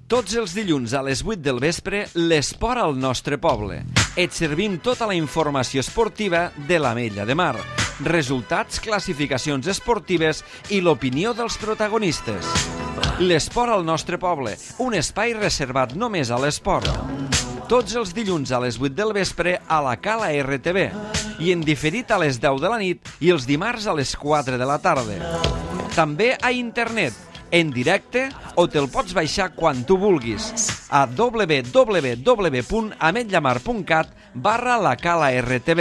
Tots els dilluns a les 8 del vespre, l'esport al nostre poble. Et servim tota la informació esportiva de l'Ametlla de Mar. Resultats, classificacions esportives i l'opinió dels protagonistes. L'esport al nostre poble, un espai reservat només a l'esport. Tots els dilluns a les 8 del vespre a la Cala RTV i en diferit a les 10 de la nit i els dimarts a les 4 de la tarda. També a internet, en directe, o te'l pots baixar quan tu vulguis a www.ametlamar.cat/la-cala-rtv.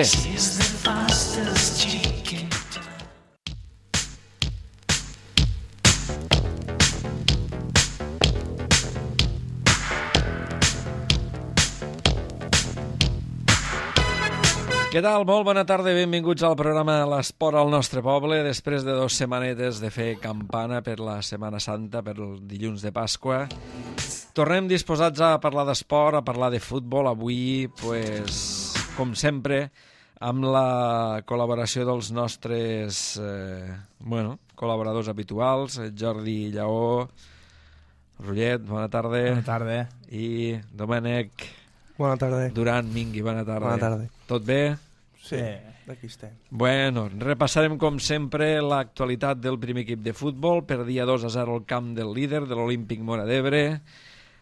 Què tal? Molt bona tarda i benvinguts al programa L'Esport al nostre poble. Després de 2 setmanetes de fer campana per la Setmana Santa, per el dilluns de Pasqua, tornem disposats a parlar d'esport, a parlar de futbol. Avui, pues, com sempre, amb la col·laboració dels nostres col·laboradors habituals, Jordi Lleó, Rullet, bona tarda. Bona tarda. I Domènec Bona tarda. Duran Mingui, bona tarda. Bona tarda. Tot bé? Sí, d'aquí estem. Bueno, repassarem com sempre l'actualitat del primer equip de futbol. Perdia 2-0 al camp del líder, de l'Olímpic Móra d'Ebre.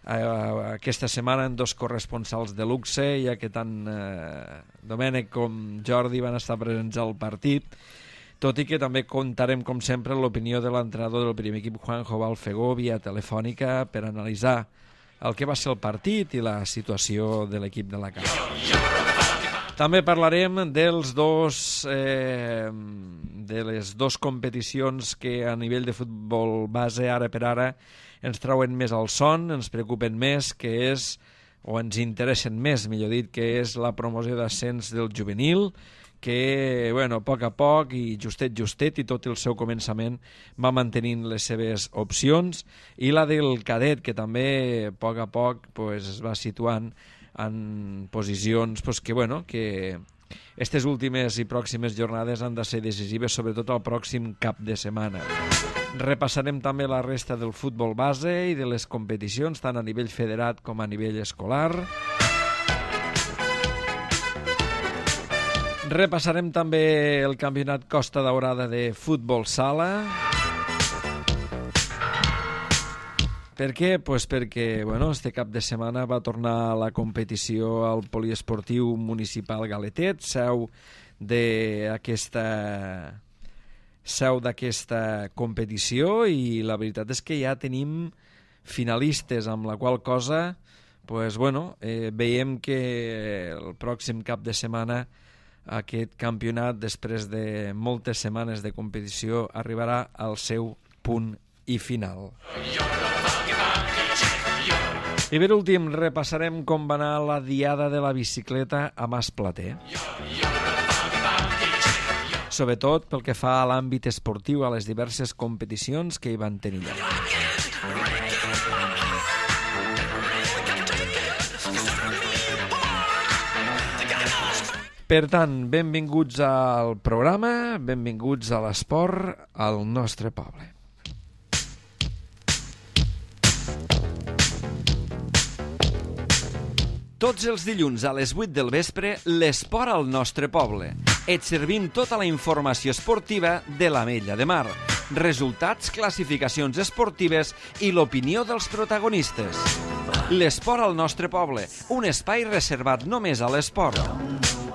Aquesta setmana en 2 corresponsals de luxe, ja que tant Domènec com Jordi van estar presents al partit, tot i que també contarem, com sempre, l'opinió de l'entrenador del primer equip, Juanjo Balfegó, via telefònica, per analitzar el que va ser el partit i la situació de l'equip de la casa. També parlarem de les 2 competicions que a nivell de futbol base, ara per ara, ens trauen més al son, ens preocupen més, que és, o ens interessen més, millor dit, que és la promoció d'ascens del juvenil, que, bueno, a poc i justet, i tot el seu començament va mantenint les seves opcions, i la del cadet, que també a poc pues, es va situant en posicions pues, que aquestes últimes i pròximes jornades han de ser decisives, sobretot el pròxim cap de setmana. Repassarem també la resta del futbol base i de les competicions, tant a nivell federat com a nivell escolar. Repassarem també el campionat Costa Daurada de futbol sala. Per què? Pues perquè este cap de setmana va tornar la competició al poliesportiu municipal Galetet, seu d'aquesta competició, i la veritat és que ja tenim finalistes, amb la qual cosa veiem que el pròxim cap de setmana aquest campionat, després de moltes setmanes de competició, arribarà al seu punt i final. I per últim repassarem com va anar la diada de la bicicleta a Masplater. Sobretot pel que fa a l'àmbit esportiu, a les diverses competicions que hi van tenir lloc. Per tant, benvinguts al programa, benvinguts a l'esport al nostre poble. Tots els dilluns a les 8 del vespre, l'esport al nostre poble. Et servim tota la informació esportiva de l'Ametlla de Mar. Resultats, classificacions esportives i l'opinió dels protagonistes. L'esport al nostre poble, un espai reservat només a l'esport.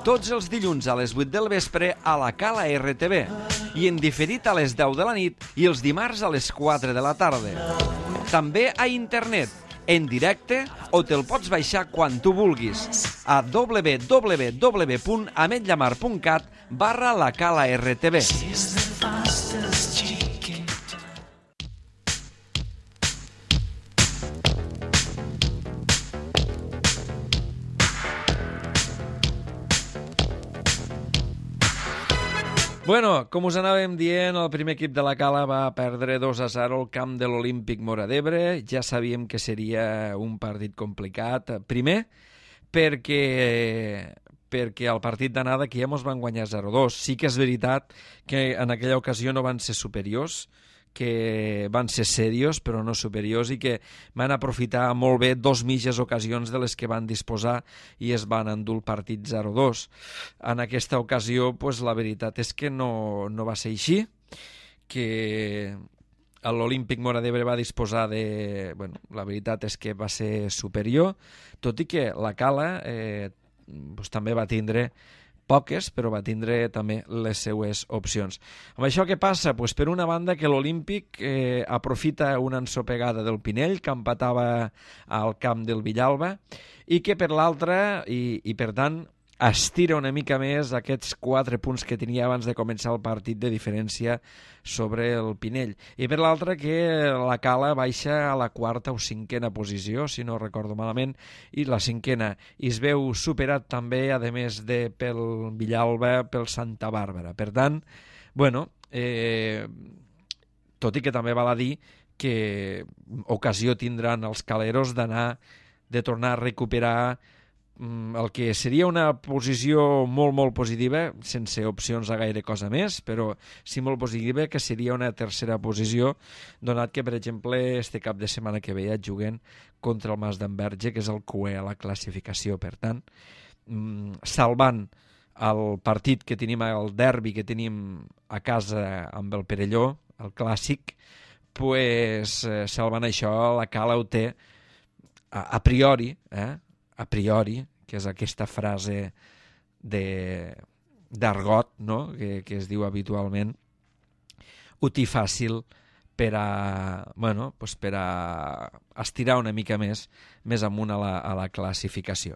Tots els dilluns a les 8 del vespre a la Cala RTV i en diferit a les 10 de la nit i els dimarts a les 4 de la tarda. També a internet, en directe, o te'l pots baixar quan tu vulguis a www.ametlamar.cat/la-cala-rtv. Bueno, com us anàvem dient, el primer equip de la Cala va perdre 2-0 al camp de l'Olímpic Móra d'Ebre. Ja sabíem que seria un partit complicat. Primer, perquè al partit d'anada aquí ja mos van guanyar 0-2. Sí que és veritat que en aquella ocasió no van ser superiors, que van ser serios però no superiors i que van aprofitar molt bé dos mitges ocasions de les que van disposar i es van endur el partit 0-2. En aquesta ocasió pues, la veritat és que no va ser així, que l'Olímpic Móra d'Ebre va disposar de... Bueno, la veritat és que va ser superior, tot i que la Cala pues, també va tindre poques, però va tindre també les seues opcions. Amb això què passa? Pues per una banda que l'Olímpic aprofita una ensopegada del Pinell, que empatava al camp del Villalba, i que per l'altra, i per tant, estira una mica més aquests 4 punts que tenia abans de començar el partit de diferència sobre el Pinell. I per l'altra que la Cala baixa a la 4ª o 5ª posició, si no recordo malament, i la 5ª. I es veu superat també, a més de pel Villalba, pel Santa Bàrbara. Per tant, bueno, tot i que també val a dir que ocasió tindran els caleros de tornar a recuperar el que seria una posició molt, molt positiva, sense opcions a gaire cosa més, però sí molt positiva, que seria una tercera posició, donat que, per exemple, este cap de setmana que ve juguen contra el Mas d'Enverge, que és el cué a la classificació. Per tant, salvant el partit que tenim, el derbi que tenim a casa amb el Perelló, el clàssic, pues, salvant això, la Cala ho té a priori, a priori, que és aquesta frase d'argot, no? que es diu habitualment, ho té fàcil per a estirar una mica més amunt a la classificació.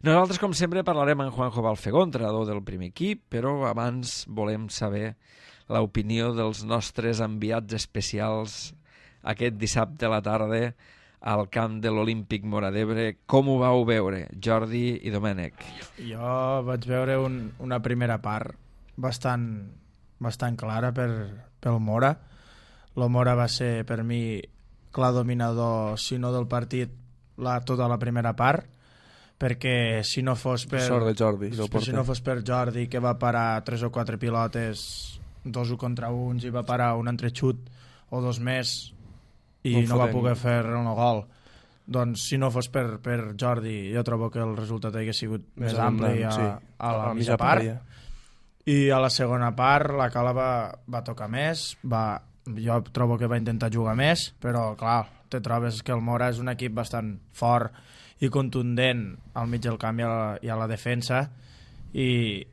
Nosaltres, com sempre, parlarem amb Juanjo Balfegó, entrenador del primer equip, però abans volem saber l'opinió dels nostres enviats especials aquest dissabte a la tarda al camp de l'Olímpic Móra d'Ebre. Com ho vau veure, Jordi i Domènec? Jo vaig veure una primera part bastant clara pel Móra. El Móra va ser, per mi, clar dominador, si no del partit, tota la primera part, perquè si no fos per... Sort de Jordi. Si no fos per Jordi, que va parar 3 o 4 pilotes, 2 contra 1, i va parar un entrexut o 2 més, i no va poder fer el gol. Doncs si no fos per Jordi, jo trobo que el resultat hauria sigut més ampli a la mitja part. I a la segona part la Cala va tocar més, jo trobo que va intentar jugar més, però clar, te trobes que el Móra és un equip bastant fort i contundent al mig del camp i a la defensa, i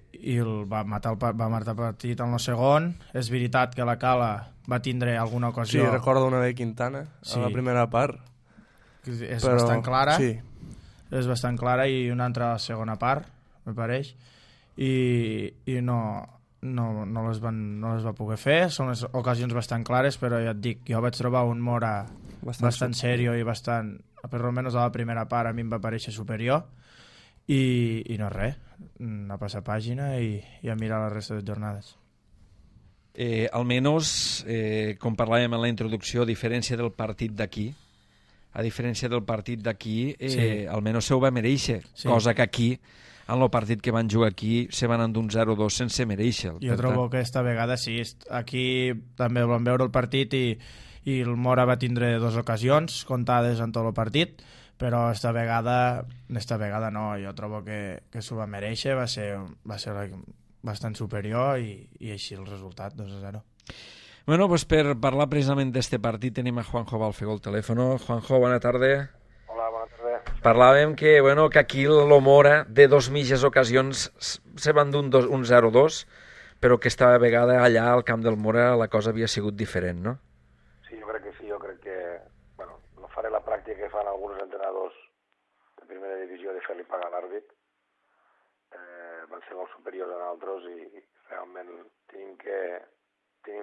va matar el partit en el segon. És veritat que la Cala va tindre alguna ocasió. Sí, recordo una de Quintana a la primera part. És bastant clara. Sí. És bastant clara, i una altra a la segona part, me pareix. I no les va poder fer. Són les ocasions bastant clares, però ja et dic, jo vaig trobar un Móra bastant serio i bastant, per almenys a la primera part, a mi em va parèixer superior. I no res, a passar pàgina i a mirar la resta de jornades. Almenys, com parlàvem en la introducció, a diferència del partit d'aquí, almenys se ho va mereixer, cosa que aquí, en el partit que van jugar aquí, se van endur un 0-2 sense mereixer. Jo trobo que esta vegada sí, aquí també vam veure el partit i el Móra va tindre 2 ocasions comptades en tot el partit, però esta vegada no, jo trobo que s'ho va mereixer, va ser bastant superior, i així el resultat, 2-0. Bueno, pues per parlar precisament d'este partit tenim a Juanjo Balfegó al telèfon. Juanjo, bona tarda. Hola, bona tarda. Parlàvem que aquí el Móra de 2 mitges ocasions se van dur un 0-2, però que esta vegada allà al camp del Móra la cosa havia sigut diferent, no? Sí, jo crec que no faré la pràctica que fan alguns entrenadors de primera divisió de fer-li pagar l'àrbit. Van ser molt superiors a nosaltres i realment tenim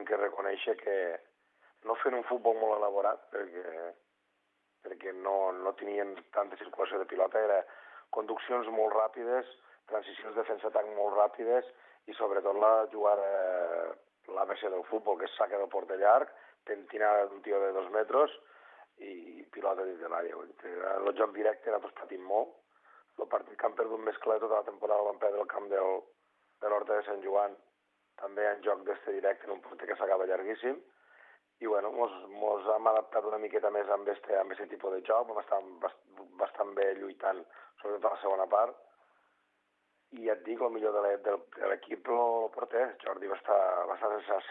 que reconèixer que no fent un futbol molt elaborat, perquè no tenien tanta circulació de pilota, era conduccions molt ràpides, transicions defensa-atac molt ràpides, i sobretot l'ABC del futbol, que és saca del porter llarg, tentinada d'un tio de 2 metres i pilota dins de l'àrea. En el joc directe nosaltres patim molt. El partit que han perdut més clar tota la temporada el van perdre al camp de l'Horta de Sant Joan, també en joc d'este directe, en un porter que s'acaba llarguíssim, i bueno, mos hem adaptat una miqueta més amb este tipus de joc, vam estar bastant bé lluitant, sobretot a la segona part, i ja et dic, el millor de l'equip el porter. Jordi va estar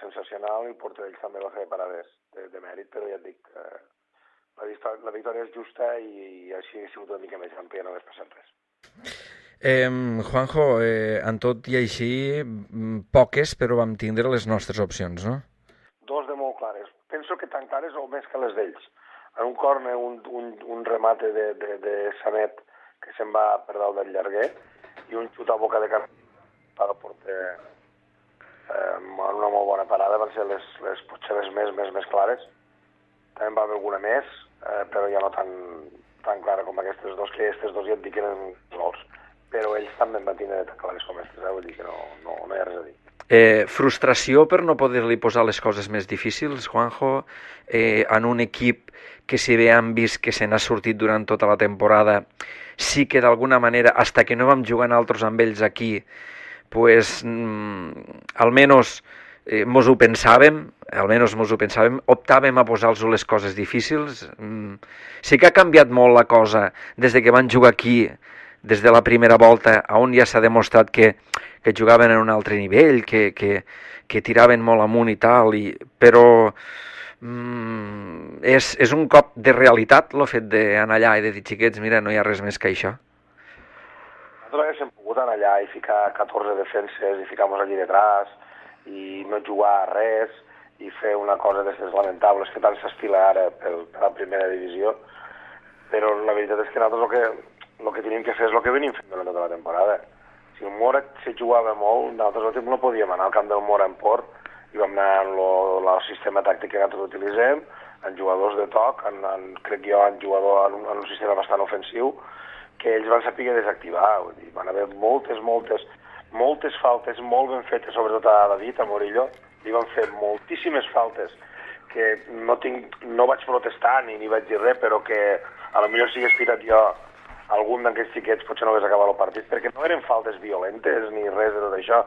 sensacional i el porter d'ells també va fer parades de mèrit, però ja et dic, la victòria és justa i així ha sigut una mica més àmplia, no hagués passat res. Juanjo, en tot i així, poques, però vam tindre les nostres opcions, no? Dos de molt clares. Penso que tan clares o més que les d'ells. En un córner, un remate de Sanet que se'n va per dalt del llarguer i un xut a boca de cap per al porter en una molt bona parada. Van ser potser les més clares. També va haver alguna més, però ja no tan clara com aquestes dos, que aquestes dos ja et dic que eren gols. Però ells també en van tindre tan clares com aquestes, vull dir que no hi ha res a dir. Frustració per no poder-li posar les coses més difícils, Juanjo, en un equip que si bé han vist que se n'ha sortit durant tota la temporada, sí que d'alguna manera, hasta que no vam jugar altres amb ells aquí, pues, almenys mos ho pensàvem, optàvem a posar-los les coses difícils. Sí que ha canviat molt la cosa des de que van jugar aquí, des de la primera volta, on ja s'ha demostrat que jugaven en un altre nivell, que tiraven molt amunt i tal, però és un cop de realitat el fet d'anar allà i de dir, xiquets, mira, no hi ha res més que això. Nosaltres haguéssim pogut anar allà i ficar 14 defenses i ficar-nos allí detrás i no jugar a res i fer una cosa d'aquestes lamentables que tant s'estila ara per la primera divisió, però la veritat és que nosaltres el que tenim que fer és el que venim fent durant tota la temporada. Si el Mora se jugava molt, nosaltres no podíem anar al camp del Mora en Port i vam anar en el sistema tàctic que nosaltres utilitzem, en jugadors de toc, crec jo en un sistema bastant ofensiu, que ells van saber desactivar. Vull dir, van haver moltes faltes molt ben fetes, sobretot a David, a Morillo, li van fer moltíssimes faltes que no vaig protestar ni vaig dir res, però que a lo millor si hagués tirat jo algun d'aquests xiquets potser no hagués acabat el partit, perquè no eren faltes violentes ni res de tot això,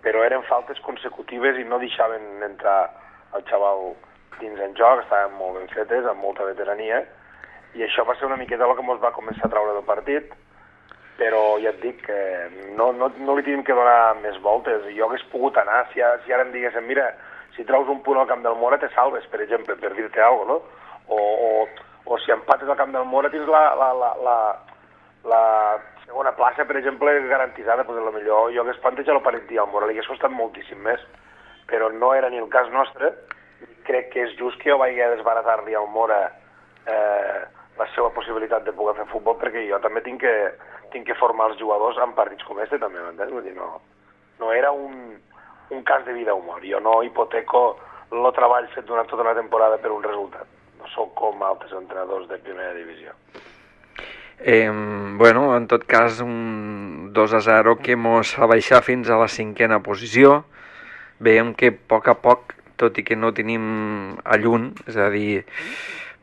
però eren faltes consecutives i no deixaven entrar el xaval dins en joc, estaven molt ben fetes, amb molta veterania, i això va ser una miqueta el que ens va començar a traure del partit, però ja et dic que no li tenim que donar més voltes. Jo hagués pogut anar, si ara em diguéssim, mira, si treus un punt al camp del Mora te salves, per exemple, per dir-te alguna cosa, no? O si empates al camp del Mora tens la segona plaça, per exemple, garantitzada, doncs potser jo hagués plantejat el partit al Mora, li hagués costat moltíssim més, però no era ni el cas nostre, i crec que és just que jo vaig desbaratar-li al Mora la seva possibilitat de poder fer futbol, perquè jo també tinc que formar els jugadors en partits com este, també, m'entens? Vull dir, no era un cas de vida o mort, jo no hipoteco el treball fet durant tota la temporada per un resultat, no sóc com altres entrenadors de primera divisió. Bueno, en tot cas, un 2-0 que mos fa baixar fins a la 5a posició. Veiem que a poc, tot i que no tenim a lluny, és a dir,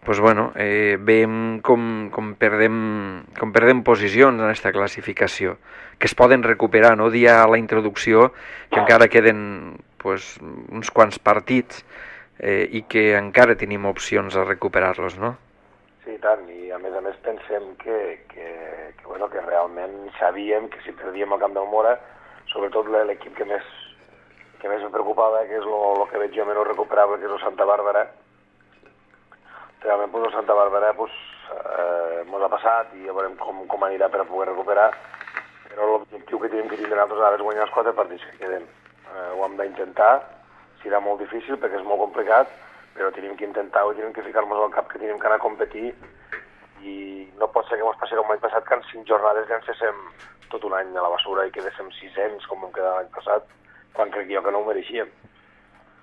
pues bueno, veiem com perdem posicions en aquesta classificació, que es poden recuperar, no? Dia a la introducció que encara queden pues, uns quants partits i que encara tenim opcions a recuperar-los, no? Sí, tant, i a més pensem que realment sabíem que si perdíem el camp del Mora, sobretot l'equip que més em preocupava, que és el que veig jo menys recuperable, que és el Santa Bàrbara. Realment, el Santa Bàrbara ens ha passat i ja veurem com anirà per a poder recuperar, però l'objectiu que tenim que tindre nosaltres ara és guanyar els 4 partits que queden. Ho hem d'intentar, serà molt difícil perquè és molt complicat, però tenim que intentar-ho i tenim que ficar-nos al cap que tenim que anar a competir i no pot ser que ens passi com l'any passat que en 5 jornades llancéssim tot un any a la basura i quedéssim 600 com vam quedar l'any passat, quan crec jo que no ho mereixíem.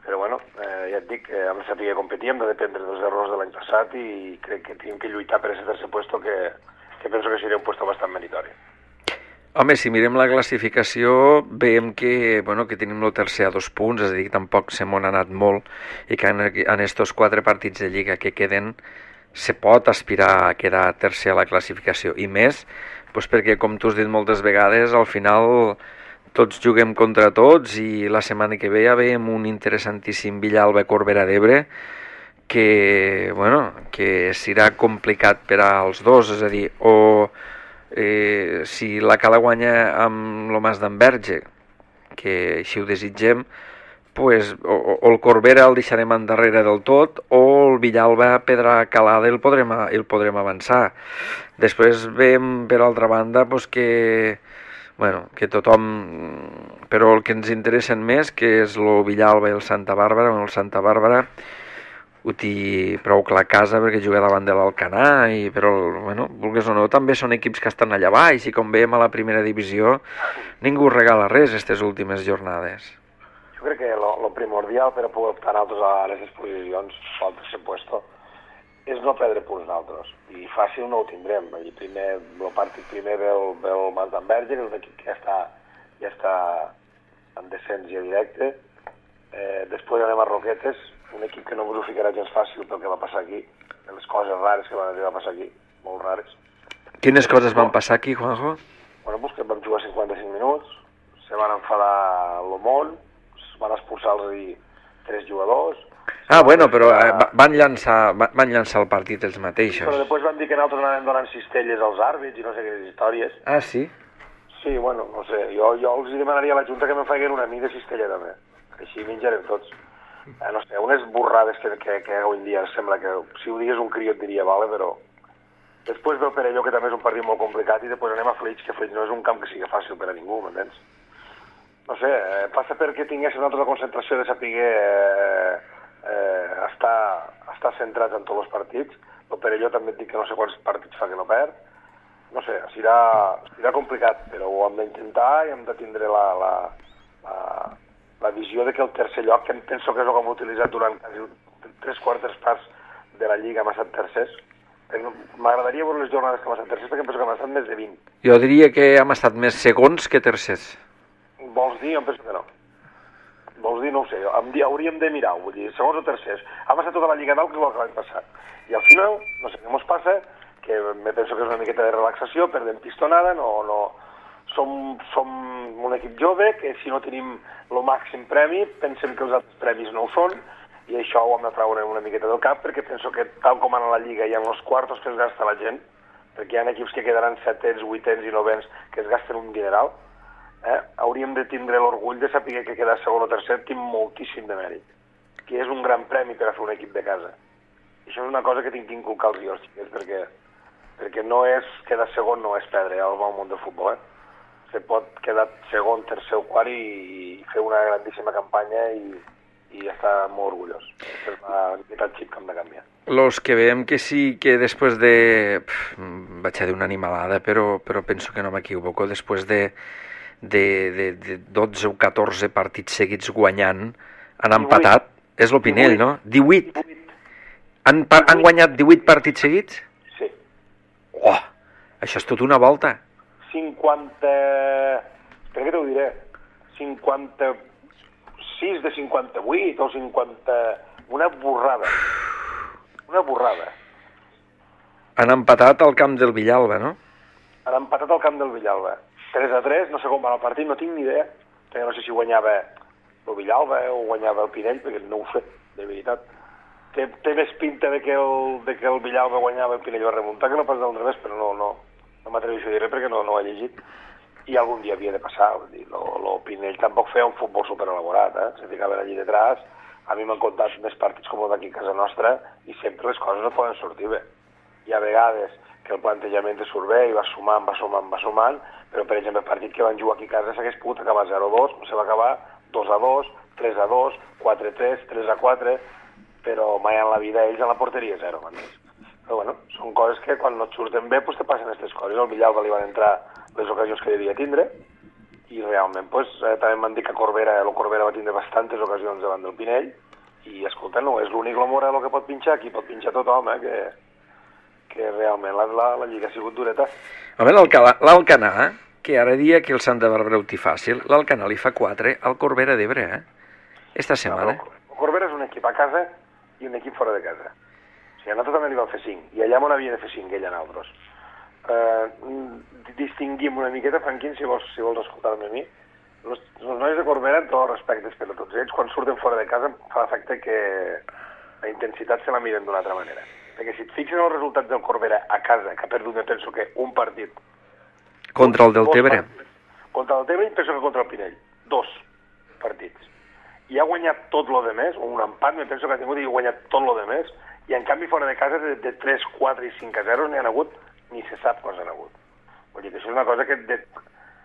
Però bueno, ja et dic, hem de saber competir, hem de dependre dels errors de l'any passat i crec que tenim que lluitar per aquest tercer puesto que penso que seria un puesto bastant meritori. Home, si mirem la classificació, veiem que tenim el tercer a 2 punts, és a dir, que tampoc se m'han anat molt i que en estos 4 partits de Lliga que queden se pot aspirar a quedar tercer a la classificació. I més, perquè, com tu has dit moltes vegades, al final tots juguem contra tots i la setmana que ve ja veiem un interessantíssim Villalba-Corbera d'Ebre que serà complicat per als dos, és a dir, o si la Cala guanya amb el Mas d'Enverge, que així ho desitgem, pues, o el Corbera el deixarem endarrere del tot, o el Villalba Pedra Calada el podrem avançar. Després veiem per altra banda pues, que tothom, però el que ens interessen més, que és el Villalba i el Santa Bàrbara. El Santa Bàrbara ho té prou clar a casa perquè juga davant de l'Alcanar, però vulguis o no, també són equips que estan allà baix, i com veiem a la primera divisió ningú regala res aquestes últimes jornades. Jo crec que lo primordial per a poder optar altres a les exposicions al tercer puesto és no perdre punts d'altres, i fàcil no ho tindrem. El partit primer ve el Mas d'Enverge, que és un equip que ja està en descens ja directe. Després anem a Roquetes, un equip que no us ho ficarà gens fàcil pel que va passar aquí, les coses rares que van arribar a passar aquí, molt rares. Quines coses van passar aquí, Juanjo? Bueno, pues que vam jugar 55 minuts, se van enfadar l'Omont, van expulsar-los 3 jugadors. Però van llançar el partit els mateixos. Però després van dir que nosaltres anàvem donant cistelles als àrbits i no sé quines històries. Ah, sí? Sí, no sé, jo els demanaria a la Junta que me'n facin una mida de cistella també, així menjarem tots. No sé, unes borrades que avui en dia sembla que si ho digués un crió et diria vale, però després ve el Perelló, que també és un partit molt complicat, i després anem a Flix, que Flix no és un camp que sigui fàcil per a ningú, m'entens? No sé, passa perquè tinguéssim nosaltres la concentració de saber estar centrats en tots els partits. El Perelló també et dic que no sé quants partits fa que no perd. No sé, serà complicat, però ho hem d'intentar i hem de tindre la visió de que el tercer lloc, que penso que és el que hem utilitzat durant quasi 3/4 parts de la Lliga, hem estat tercers. M'agradaria veure les jornades que hem estat tercers, perquè penso que hem estat més de 20. Jo diria que hem estat més segons que tercers. Vols dir? Em penso que no. Vols dir? No ho sé. Hauríem de mirar, vull dir, segons o tercers. Hem estat tota la Lliga dalt, que és el que l'any passat. I al final, no sé què ens passa, que me penso que és una miqueta de relaxació, perdem pistonada, som un equip jove, que si no tenim el màxim premi, pensem que els altres premis no ho són, i això ho hem de treure una miqueta del cap, perquè penso que tal com anar a la Lliga hi ha els quartos que es gasta la gent, perquè hi ha equips que quedaran 7ens, 8ens i 9ens que es gasten un dineral. Hauríem de tindre l'orgull de saber que quedar segon o tercer té moltíssim de mèrit, que és un gran premi per a fer un equip de casa. I això és una cosa que tinc d'inculcar als xiquets, perquè no és quedar segon, no és perdre al món del futbol. Se pot quedar segon, tercer o quart i fer una grandíssima campanya i estar molt orgullós. És el xip que hem de canviar. Los que veiem que sí, que després de... vaig a dir una animalada, però penso que no m'equivoco, després de 12 o 14 partits seguits guanyant, han empatat, és l'Opinell, no? 18. Han guanyat 18 partits seguits? Sí. Oh, això és tot una volta. 50... Per què t'ho diré? 56 de 58 o 50... Una borrada. Una borrada. Han empatat al camp del Villalba, no? Han empatat al camp del Villalba. 3-3, no sé com va el partit, no tinc ni idea. Perquè no sé si guanyava el Villalba o guanyava el Pinell, perquè no ho sé, de veritat. Té més pinta de que el Villalba guanyava el Pinell va remuntar que no pas del revés, però no m'atreveixo a dir res perquè no ho he llegit. I algun dia havia de passar. El Pinell tampoc feia un futbol superelaborat, se ficava allí detrás. A mi m'han contat més partits com el d'aquí a casa nostra i sempre les coses no poden sortir bé. Hi ha vegades que el plantejament te surt bé i va sumant, però per exemple el partit que van jugar aquí a casa s'hagués pogut acabar 0-2, se va acabar 2-2, 3-2, 4-3, 3-4, però mai en la vida ells a la porteria 0. Però bueno, són coses que quan no et surten bé pues te passen aquestes coses. Al Villalba li van entrar les ocasions que devia tindre i realment també m'han dit que el Corbera va tindre bastantes ocasions davant del Pinell i escolta, no és l'únic l'Omora el que pot pinxar, aquí pot pinxar tothom, que realment la Lliga ha sigut dureta. Home, l'Alcanar, que ara dia que el Santa Bàrbara ho té fàcil, l'Alcanar li fa 4 al Corbera d'Ebre, esta setmana. El Corbera és un equip a casa i un equip fora de casa. O sigui, a nosaltres també li van fer 5, i allà on havia de fer 5, ell a nosaltres. Distingim una miqueta, Franquín, si vols escoltar-me a mi. Els nois de Corbera, en tots els respectes per a tots ells, quan surten fora de casa fa l'efecte que la intensitat se la miren d'una altra manera. Perquè si et fixes en els resultats del Corbera a casa, que ha perdut, penso que un partit... Contra el Deltebre. Contra el Deltebre i penso que contra el Pinell. 2 partits. I ha guanyat tot lo de més, o un empat, me penso que ha tingut i ha guanyat tot lo de més, i en canvi fora de casa de 3, 4 i 5-0 n'hi ha hagut, ni se sap quants han hagut. Vull dir que això és una cosa que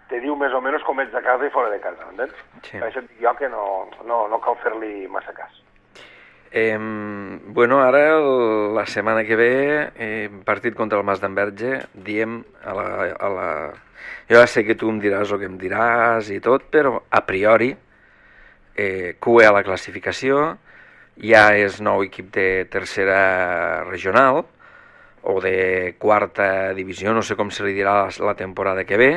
te diu més o menys com ets de casa i fora de casa, m'entens? Sí. Per això et dic jo que no cal fer-li massa cas. Bueno, ara la setmana que ve, partit contra el Mas d'Enverge, diem jo ja sé que tu em diràs el que em diràs i tot, però a priori QE a la classificació, ja és nou equip de tercera regional o de quarta divisió, no sé com se li dirà la temporada que ve,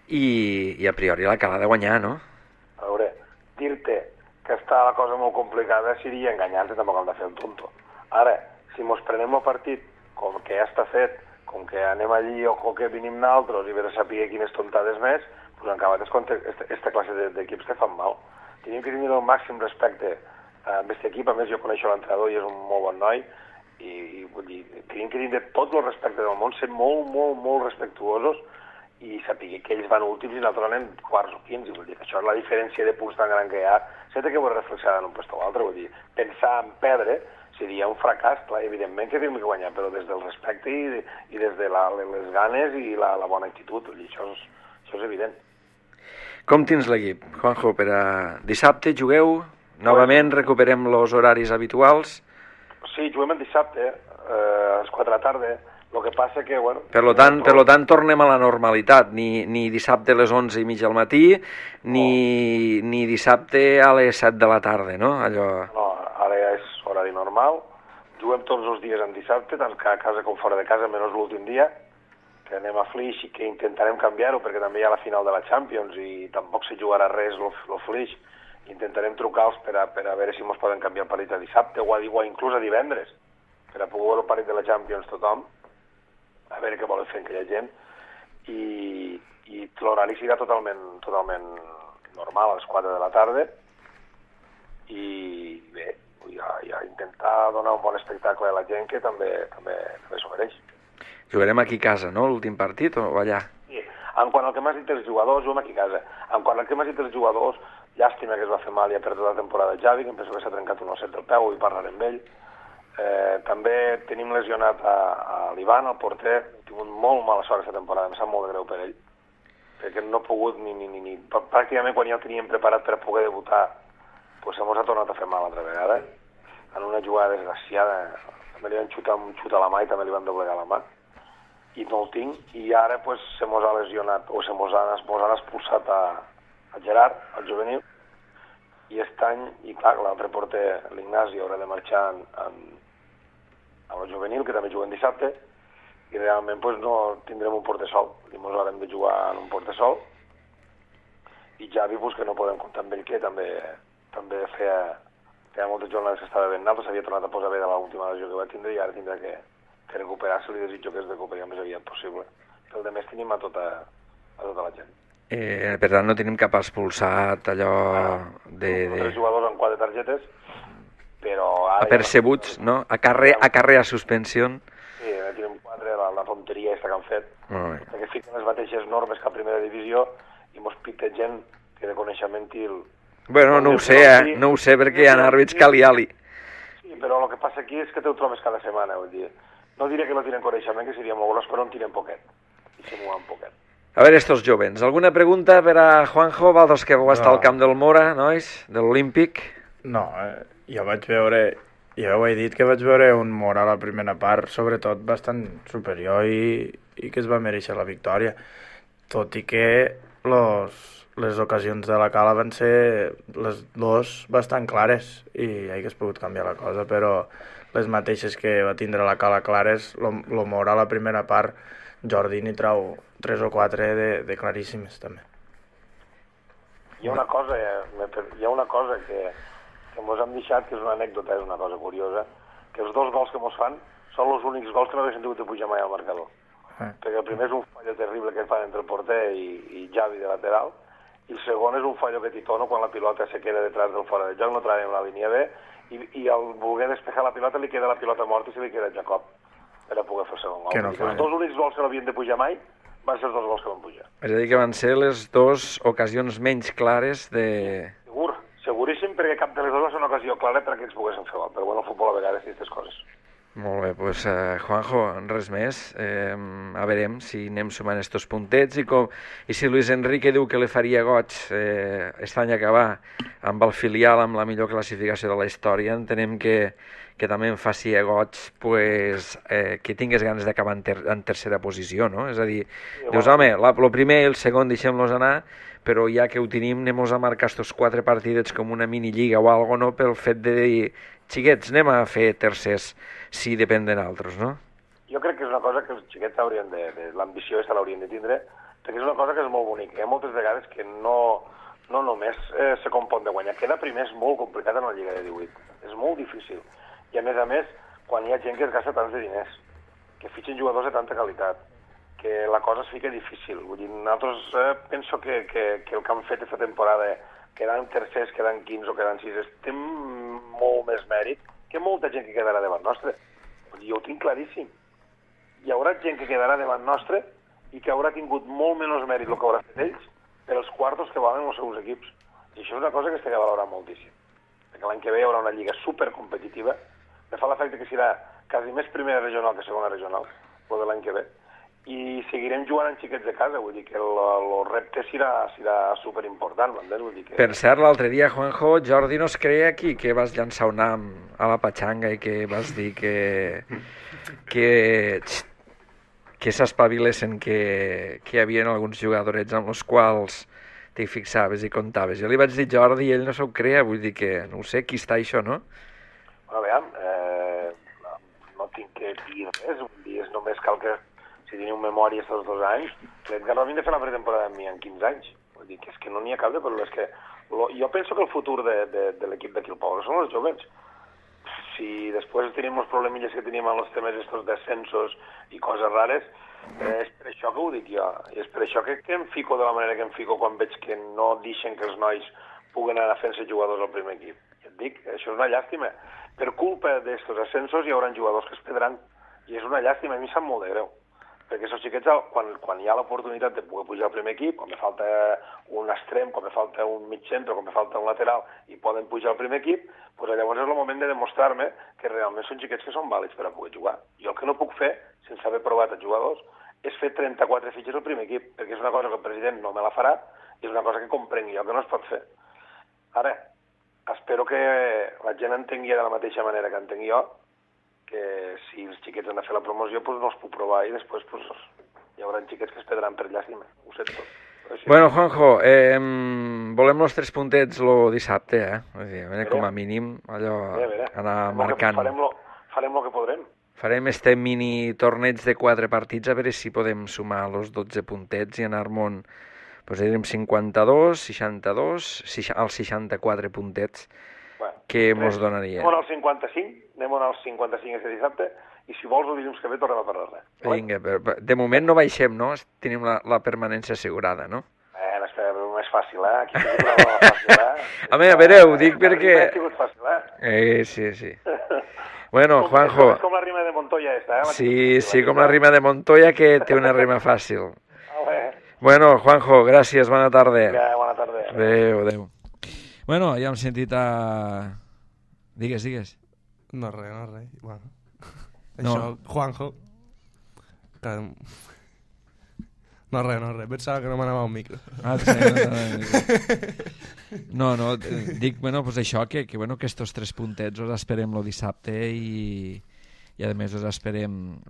i a priori la cal ha de guanyar, no? A veure, dir-te que està la cosa molt complicada seria enganyar-te, tampoc hem de fer el tonto. Ara, si mos prenem el partit com que ja està fet, com que anem allí o com que venim naltros i veure saber quines tontades més, doncs en acabat aquesta classe d'equips te fan mal. Tenim que tenir el màxim respecte a aquest equip, a més jo coneixo l'entrenador i és un molt bon noi, i vull dir, tenim que tenir tot el respecte del món, ser molt respectuosos i saber que ells van últims i nosaltres anem quarts o quints, i vull dir que això és la diferència de punts tan gran que hi ha, sempre que ho reflexionar en un lloc o altre, vull dir, pensar en perdre seria un fracàs, clar, evidentment que tenim que guanyar, però des del respecte i des de les ganes i la bona actitud, vull dir, això és evident. Com tens l'equip, Juanjo, per a dissabte jugueu? Novament recuperem els horaris habituals? Sí, juguem el dissabte, a les 4 de la tarda. El que passa que, bueno... Per lo tant, tornem a la normalitat. Ni dissabte a les 11:30 al matí, ni dissabte a les 7 de la tarda, no? No, ara ja és horari normal. Juguem tots els dies en dissabte, tant a casa com fora de casa, menys l'últim dia, que anem a Flix i que intentarem canviar-ho, perquè també hi ha la final de la Champions i tampoc se jugarà res el Flix. Intentarem trucar-los per a veure si ens poden canviar el partit a dissabte o inclús a divendres, per a poder veure el partit de la Champions tothom, a veure què volen fer aquella gent, i l'horari serà totalment normal, a les 4 de la tarda, i bé, ja intentar donar un bon espectacle a la gent que també s'ho mereix. Jugarem aquí a casa, no?, l'últim partit, o allà? Sí, en quant al que m'has dit els jugadors, juguem aquí a casa. En quant al que m'has dit els jugadors, llàstima que es va fer mal i ha perdut la temporada de Javi, que em penso que s'ha trencat un osset del peu i parlarem amb ell. També tenim lesionat a l'Ivan, el porter, ha tingut molt mala sort aquesta temporada, em sap molt de greu per ell, perquè no ha pogut pràcticament quan ja el teníem preparat per a poder debutar, doncs se mos ha tornat a fer mal altra vegada, en una jugada desgraciada, també li van xutar un xut a la mà i també li van doblegar la mà, i no el tinc, i ara pues, se mos ha lesionat, o se mos han expulsat a Gerard, al juvenil, i aquest any, i clar, l'altre porter, l'Ignasi, haurà de marxar al juvenil, que també juguen dissabte, i realment pues, no tindrem un porter sol, i ens haurem de jugar en un porter sol, i Javi, pues, que no podem comptar amb ell, que també feia moltes jornades que estava ben alt, s'havia tornat a posar bé de l'última lesió que va tindre, i ara tindrà que recuperar-se, li desitjo que es recuperi el més aviat possible. El de més tenim a tota la gent. Per tant, no tenim cap expulsat, allò de... Els jugadors amb 4 targetes, però... Apercebuts, no? A carrer a suspensió. Sí, tenim 4, la tonteria aquesta que han fet, perquè fiquen les mateixes normes que a primera divisió i mos pica gent que de coneixement i el... Bueno, no ho sé, perquè hi ha àrbits cali-ali. Sí, però el que passa aquí és que te ho trobes cada setmana, vull dir. No diré que no tiren coneixement, que seria molt gros, però en tiren poquet. I se mouen poquet. A veure, estos jovens, alguna pregunta per a Juanjo, vosaltres que vau estar al camp del Mora, nois, de l'Olímpic? No, jo vaig veure, ja ho he dit, que vaig veure un Mora a la primera part, sobretot bastant superior i que es va mereixer la victòria, tot i que les ocasions de la Cala van ser les dues bastant clares i hagués pogut canviar la cosa, però les mateixes que va tindre la Cala clares, lo Mora a la primera part, Jordi n'hi trau 3 o 4 de claríssimes també. Hi ha una cosa que mos hem deixat, que és una anècdota, és una cosa curiosa, que els 2 gols que mos fan són els únics gols que no haguessin tingut de pujar mai al marcador. Perquè el primer és un fallo terrible que fan entre el porter i Javi de lateral, i el segon és un fallo que Titono quan la pilota se queda detrás del fora de joc, no trobem la línia B, i al voler despejar la pilota li queda la pilota morta i se li queda Jacob per a poder fer el segon gol. Els dos únics gols que no havien de pujar mai van ser els dos gols que van pujar. És a dir, que van ser les dues ocasions menys clares de... Seguríssim, perquè cap de les dues va ser una ocasió clara perquè ens poguessin fer gol, però bueno, el futbol a vegades té aquestes coses. Molt bé, doncs Juanjo, res més. A veurem si anem sumant estos puntets i si Luis Enrique diu que li faria goig aquest any acabar amb el filial amb la millor classificació de la història, entenem que també em faci goig que tingués ganes d'acabar en tercera posició, no? És a dir, dius, home, el primer i el segon deixem-los anar, però ja que ho tenim anem-nos a marcar estos 4 partidets com una minilliga o algo, no? Pel fet de dir, xiquets, anem a fer tercers si depèn de nosaltres, no? Jo crec que és una cosa que els xiquets haurien l'ambició aquesta l'haurien de tindre, perquè és una cosa que és molt bonica. Hi ha moltes vegades que no només se compon de guanyar. Quedar primer és molt complicat en la Lliga de 18. És molt difícil. I a més, quan hi ha gent que es gasta tants de diners, que fitxen jugadors de tanta qualitat, que la cosa es fica difícil. Vull dir, nosaltres penso que el que han fet aquesta temporada, quedant tercers, quedant 15 o quedant 6, té molt més mèrit que molta gent que quedarà davant nostre. Jo ho tinc claríssim. Hi haurà gent que quedarà davant nostre i que haurà tingut molt menys mèrit el que haurà fet ells per els quartos que valen els seus equips. I això és una cosa que s'ha de valorar moltíssim. Perquè l'any que ve hi haurà una lliga supercompetitiva. Me fa l'efecte que serà quasi més primera regional que segona regional, el de l'any que ve. I seguirem jugant amb xiquets de casa, vull dir que el repte serà superimportant, m'entens? Vull dir que... Per cert, l'altre dia, Juanjo, Jordi no es creia aquí que vas llançar un nam a la patxanga i que vas dir que s'espavilessin, que hi havia alguns jugadorets amb els quals t'hi fixaves i comptaves. Jo li vaig dir Jordi i ell no s'ho creia, vull dir que no ho sé, qui està això, no? A veure, no tinc que dir res, vull dir, només cal que si teniu memòria aquests 2 anys, l'Edgar Robin de fer la pretemporada amb mi en 15 anys. Vull dir que és que no n'hi ha cap de problema. És que jo penso que el futur de l'equip d'aquí al poble són els joves. Si després tenim els problemilles que tenim amb els temes estos descensos i coses rares, és per això que ho dic jo. I és per això que em fico de la manera que em fico quan veig que no deixen que els nois puguen anar fent-se jugadors al primer equip. Ja et dic, això és una llàstima. Per culpa d'estos ascensos hi haurà jugadors que es perdran. I és una llàstima, a mi em sap molt de greu. Perquè aquests xiquets, quan hi ha l'oportunitat de poder pujar al primer equip, quan me falta un extrem, quan me falta un mig centre, quan me falta un lateral, i poden pujar al primer equip, doncs llavors és el moment de demostrar-me que realment són xiquets que són vàlids per a poder jugar. Jo el que no puc fer, sense haver provat els jugadors, és fer 34 fitxes al primer equip, perquè és una cosa que el president no me la farà, i és una cosa que comprenc jo, que no es pot fer. Ara, espero que la gent entengui de la mateixa manera que entenc jo, que si els xiquets han de fer la promoció doncs no es puc provar i després doncs, hi haurà xiquets que es perdran per llàstima, ho sé tot. Bueno, Juanjo, volem els 3 puntets el dissabte, Vull dir, com a mínim allò anar marcant. Farem el que podrem. Farem este mini torneig de 4 partits a veure si podem sumar els 12 puntets i anar-me'n, doncs direm 52, 62, als 64 puntets que mos donaria. Anem als 55 aquest dissabte i si vols el dilluns que ve tornem a parlar-ne. Vinga, de moment no baixem, no? Tenim la permanència assegurada, no? Espera, però és fàcil, Aquí s'ha dit una fàcil, A veure, ho dic perquè... Ha sigut fàcil, Sí. Bueno, Juanjo... És com la rima de Montoya esta, Sí, com la rima de Montoya que té una rima fàcil. Bueno, Juanjo, gràcies, bona tarda. Bona tarda. Adéu. Bueno, ja hem sentit a... Digues. No res. Bueno. No. Això, Juanjo... No res. Pensava que no m'anava al micro. No, dic, pues això, que estos 3 puntets els esperem el dissabte i a més els esperem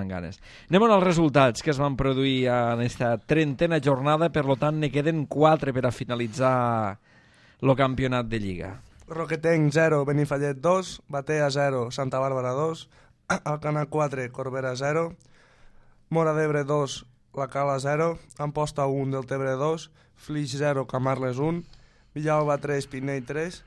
amb ganes. Anem als resultats que es van produir en aquesta 30a jornada, per tant ne queden 4 per a finalitzar el campionat de Lliga. Roquetenc 0, Benifallet 2, Batea 0, Santa Bàrbara 2, Alcanar 4, Corbera 0, Mora d'Ebre 2, La Cala 0, Amposta 1, Deltebre 2, Flix 0, Camarles 1, Villalba 3, Pinell 3,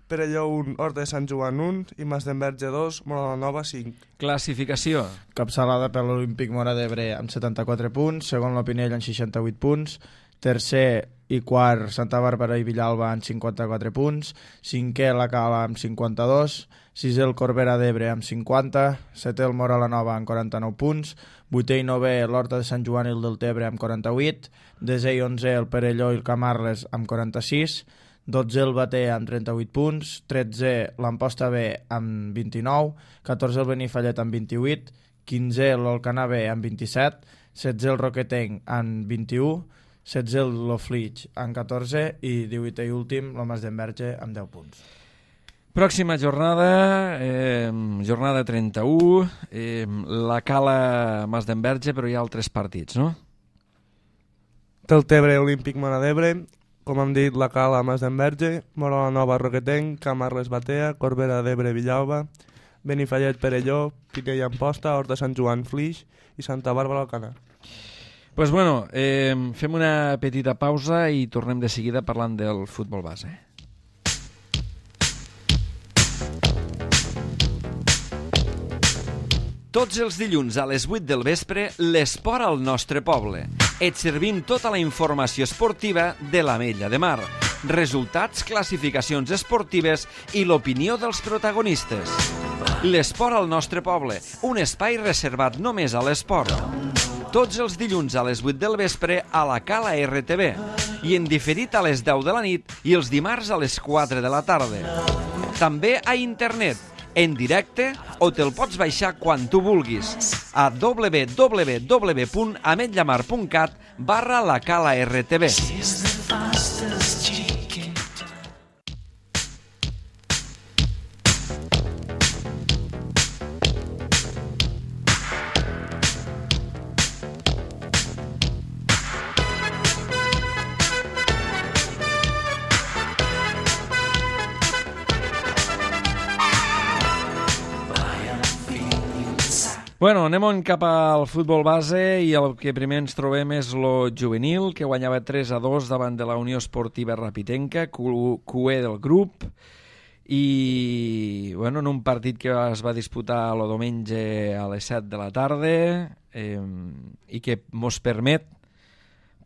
Perelló 1, Horta de Sant Joan 1 i Masdenverge 2, Mora Nova 5. Classificació. Capçalada per l'Olímpic Mora d'Ebre amb 74 punts, segon la Pinell amb 68 punts, tercer i quart Santa Bàrbara i Villalba amb 54 punts, cinquè la Cala amb 52, sisè el Corbera d'Ebre amb 50, setè el Móra la Nova amb 49 punts, vuitè i novè l'Horta de Sant Joan i el Deltebre amb 48, desè i onzè el Perelló i el Camarles amb 46, 12è el Bater amb 38 punts, 13è l'Amposta B amb 29, 14è el Benifallet amb 28, 15è l'Alcanar B amb 27, 16è el Roquetenc amb 21, 16è l'Oflix amb 14 i 18è i últim el Mas d'Enverge amb 10 punts. Pròxima jornada, jornada 31, la Cala Mas d'Enverge, però hi ha altres partits, no? Deltebre Olímpic Móra d'Ebre, com hem dit, la Cala Mas d'Enverge, Móra la Nova Roquetenc, Camarles Batea, Corbera d'Ebre Villalba, Benifallet Perelló, Pinell Amposta, Horta Sant Joan Flix i Santa Bàrbara Alcanar. Pues bueno, fem una petita pausa i tornem de seguida parlant del futbol base. Tots els dilluns a les 8 del vespre, l'esport al nostre poble. Et servim tota la informació esportiva de l'Ametlla de Mar, resultats, classificacions esportives i l'opinió dels protagonistes. L'esport al nostre poble, un espai reservat només a l'esport. Tots els dilluns a les 8 del vespre a la Cala RTV i en diferit a les 10 de la nit i els dimarts a les 4 de la tarda. També a internet, en directe o te'l pots baixar quan tu vulguis a www.ametllamar.cat/la Cala RTV. Bueno, anem cap al futbol base i el que primer ens trobem és lo juvenil, que guanyava 3-2 davant de la Unió Esportiva Rapitenca, QE del grup, i bueno, en un partit que es va disputar el diumenge a les 7 de la tarda i que mos permet,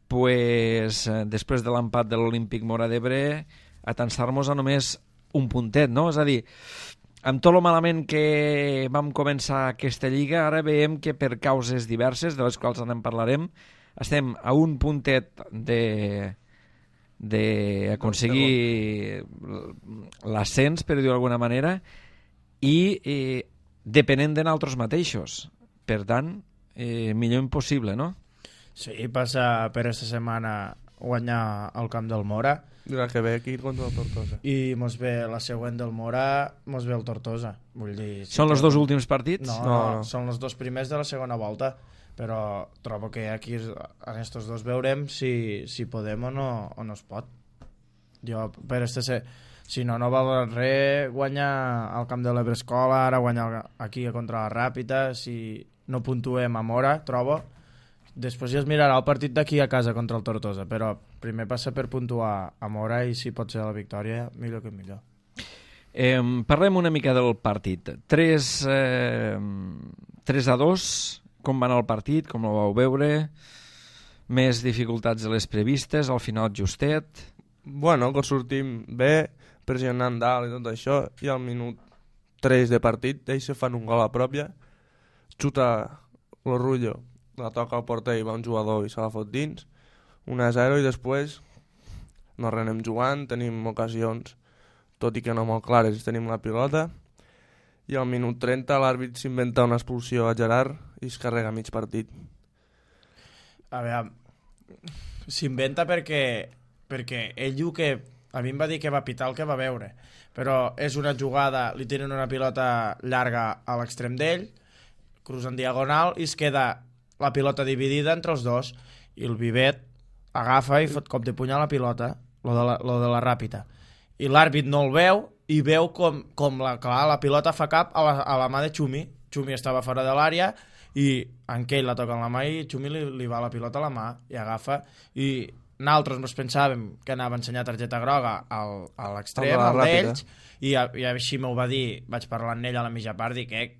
pues, després de l'empat de l'Olímpic Móra d'Ebre, atansar-nos a només un puntet, no? És a dir, amb tot el malament que vam començar aquesta lliga, ara veiem que per causes diverses, de les quals en parlarem, estem a un puntet d'aconseguir l'ascens, per dir-ho d'alguna manera, i depenent de nosaltres mateixos. Per tant, millor impossible, no? Sí, passa per aquesta setmana guanyar al camp del Móra, La que ve aquí contra el Tortosa. i mos ve la següent del Móra, mos ve el Tortosa. Vull dir, Són els dos últims partits? No, són els dos primers de la segona volta, però trobo que aquí en estos dos veurem si podem o no es pot. Jo, per si no val res guanyar al camp de l'Ebrescola, ara guanyar aquí contra la Ràpita, si no puntuem a Móra, trobo. Després ja es mirarà el partit d'aquí a casa contra el Tortosa, però primer passa per puntuar a Móra i si pot ser la victòria, millor que millor. Parlem una mica del partit. 3-2, com va anar el partit, com el vau veure, més dificultats de les previstes, al final justet. Bueno, que sortim bé, pressionant dalt i tot això, i al minut 3 de partit ells se fan un gol a pròpia, xuta l'Orrullo, la toca al porter i va un jugador i se la fot dins, 1-0, i després no renem jugant, tenim ocasions, tot i que no molt clares, tenim la pilota, i al minut 30 l'àrbit s'inventa una expulsió a Gerard i es carrega mig partit. A veure, s'inventa perquè ell diu que a mi em va dir que va pitar el que va veure, però és una jugada, li tenen una pilota llarga a l'extrem d'ell, cruza en diagonal i es queda la pilota dividida entre els dos, i el Vivet agafa i fot cop de puny a la pilota, lo de la Ràpita, i l'àrbit no el veu i veu com la pilota fa cap a la mà de Xumi. Xumi estava fora de l'àrea i en Kell la toca en la mà i Xumi li va la pilota a la mà i agafa, i nosaltres ens pensàvem que anava a ensenyar targeta groga a l'extrem, al d'ells, i així m'ho va dir, vaig parlar amb ell a la mitja part, dic que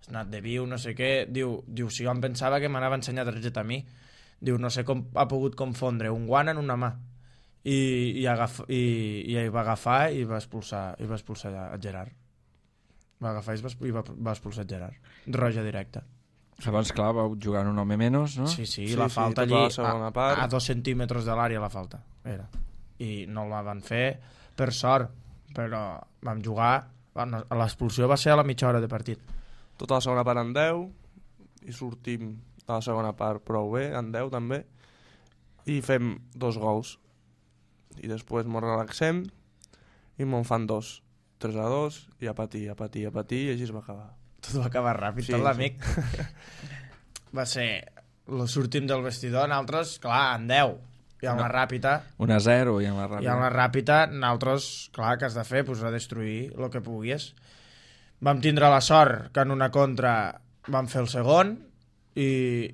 has anat de viu, no sé què, diu si jo em pensava que m'anava a ensenyar targeta a mi, Diu, no sé com ha pogut confondre un guant en una mà. I va agafar i va expulsar a Gerard. Va agafar i va expulsar Gerard. Roja directa. Abans, clar, vau jugar un home menys, no? Sí, la falta allí part. a 2 centímetres de l'àrea la falta era. I no la van fer per sort, però vam jugar, l'expulsió va ser a la mitja hora de partit. Tota la segona part en 10 i sortim a la segona part prou bé, en 10 també, i fem 2 gols i després ens relaxem i me'n fan 2, 3-2 i a patir i així es va acabar. Tot va acabar ràpid, tot l'amic. Va ser sortim del vestidor, nosaltres, clar, en 10 i amb la ràpida 1-0 i amb la ràpida. I amb la ràpida, nosaltres, clar, que has de fer? Pues a destruir el que puguis. Vam tindre la sort que en una contra vam fer el segon i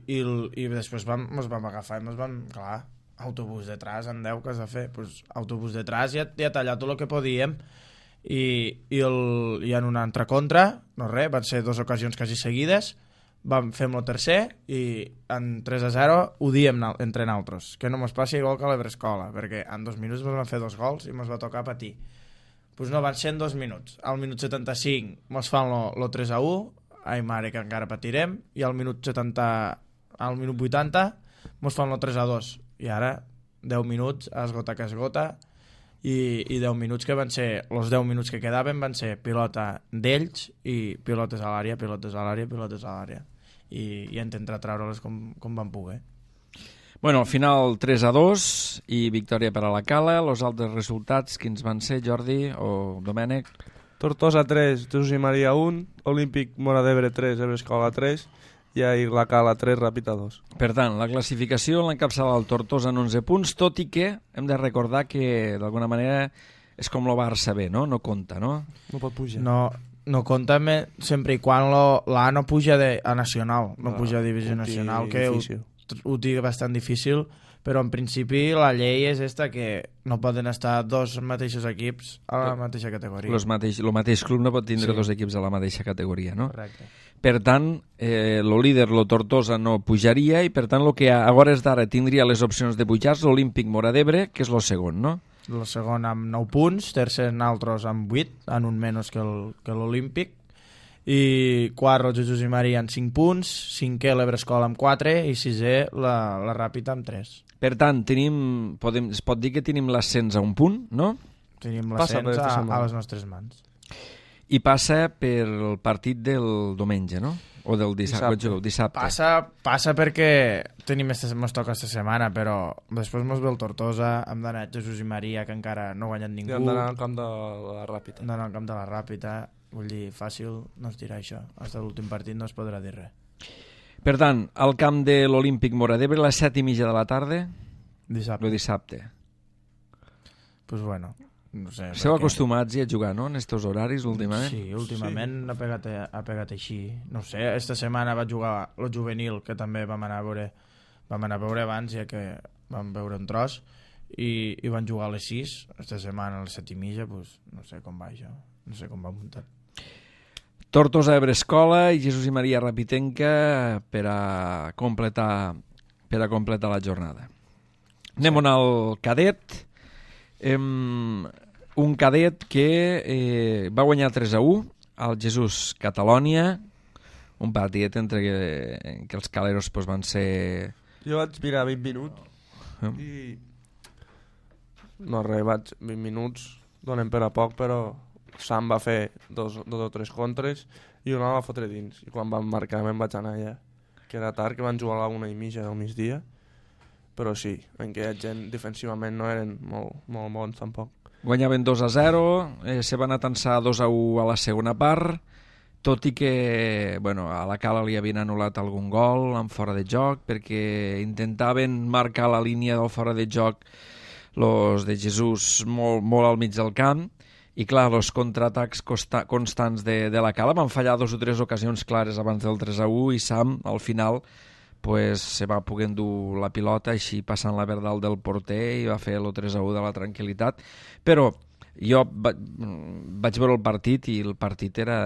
després ens vam agafar i ens vam, clar, autobús detrás, en 10 que has de fer? Pues autobús detrás i a tallar tot el que podíem. I en una altra contra, no res, van ser 2 ocasions quasi seguides, fem el tercer i en 3-0 ho diem entre nosaltres, que no mos passi igual que a l'Ebrescola, perquè en 2 minuts ens van fer 2 gols i mos va tocar patir. Pues no, van ser en 2 minuts. Al minut 75 mos fan lo 3-1, ai mare que encara patirem, i al minut 80 mos fan lo 3-2, i ara 10 minuts a esgota que esgota, i 10 minuts que van ser, els 10 minuts que quedaven van ser pilota d'ells i pilotes a l'àrea, pilotes a l'àrea, pilotes a l'àrea, i intentar treure-les com van poder. Bueno, al final 3-2 i victòria per a la Cala. Els altres resultats, quins van ser, Jordi o Domènec? Tortosa 3, Jesús i Maria 1, Olímpic Móra d'Ebre 3, Ebrescola 3, i ahir la Cala 3, Ràpita 2. Per tant, la classificació l'encapçala el Tortosa en 11 punts, tot i que hem de recordar que d'alguna manera és com el Barça B, no? No compta, no? No pot pujar. No compta sempre i quan l'A no puja a Nacional, no puja a Divisió Nacional, que ho té bastant difícil, però en principi la llei és esta, que no poden estar 2 mateixos equips a la mateixa categoria. El mateix club no pot tindre 2 equips a la mateixa categoria, no? Correcte. Per tant, el líder, el Tortosa, no pujaria i per tant el que a hores d'ara tindria les opcions de pujar és l'Olímpic Móra d'Ebre, que és el segon, no? El segon amb 9 punts, tercer nosaltres amb 8, en un menys que l'Olímpic, i quart el Jesús i Maria amb 5 punts, cinquè l'Ebrescola amb 4 i sisè la Ràpita amb 3. Per tant, es pot dir que tenim l'ascens a un punt, no? Tenim l'ascens a les nostres mans. I passa per el partit del diumenge, no? O del dissabte. Passa perquè mos toca esta setmana, però després mos ve el Tortosa, hem d'anar a Jesús i Maria, que encara no ha guanyat ningú. I hem d'anar al camp de la Ràpita. Hem d'anar al camp de la Ràpita, vull dir, fàcil no es dirà això. Fins a l'últim partit no es podrà dir res. Per tant, al camp de l'Olímpic Móra d'Ebre, a les 7:30 de la tarda, dissabte. Pues bueno, no sé. Esteu acostumats a jugar, no?, en estos horaris últimament? Sí, últimament ha pegat així. No sé, esta setmana va jugar el juvenil, que també vam anar a veure abans, ja que vam veure un tros, i van jugar a les 6, esta setmana a les 7:30, pues no sé com va això, no sé com va muntat. Tortosa, Ebrescola i Jesús i Maria Rapitenca per a completar la jornada. Anem al cadet. Un cadet que va guanyar 3-1 al Jesús Catalònia, un partit entre que els caleros van ser... Jo vaig mirar 20 minuts i no res, 20 minuts donen per a poc, però Sam va fer dos o tres contres i una va fotre dins, i quan van marcar me'n vaig anar allà, que era tard, que van jugar a la 1:30 del migdia, però sí, en què gent defensivament no eren molt bons tampoc. Guanyaven 2-0, se van atansar 2-1 a la segona part, tot i que a la Cala li havien anul·lat algun gol en fora de joc, perquè intentaven marcar la línia del fora de joc los de Jesús molt al mig del camp, i clar, els contraatacs constants de la Cala van fallar 2 o 3 ocasions clares abans del 3-1 i Sam al final se va poder endur la pilota així passant la verdal del porter i va fer el 3-1 de la tranquil·litat. Però jo vaig veure el partit i el partit era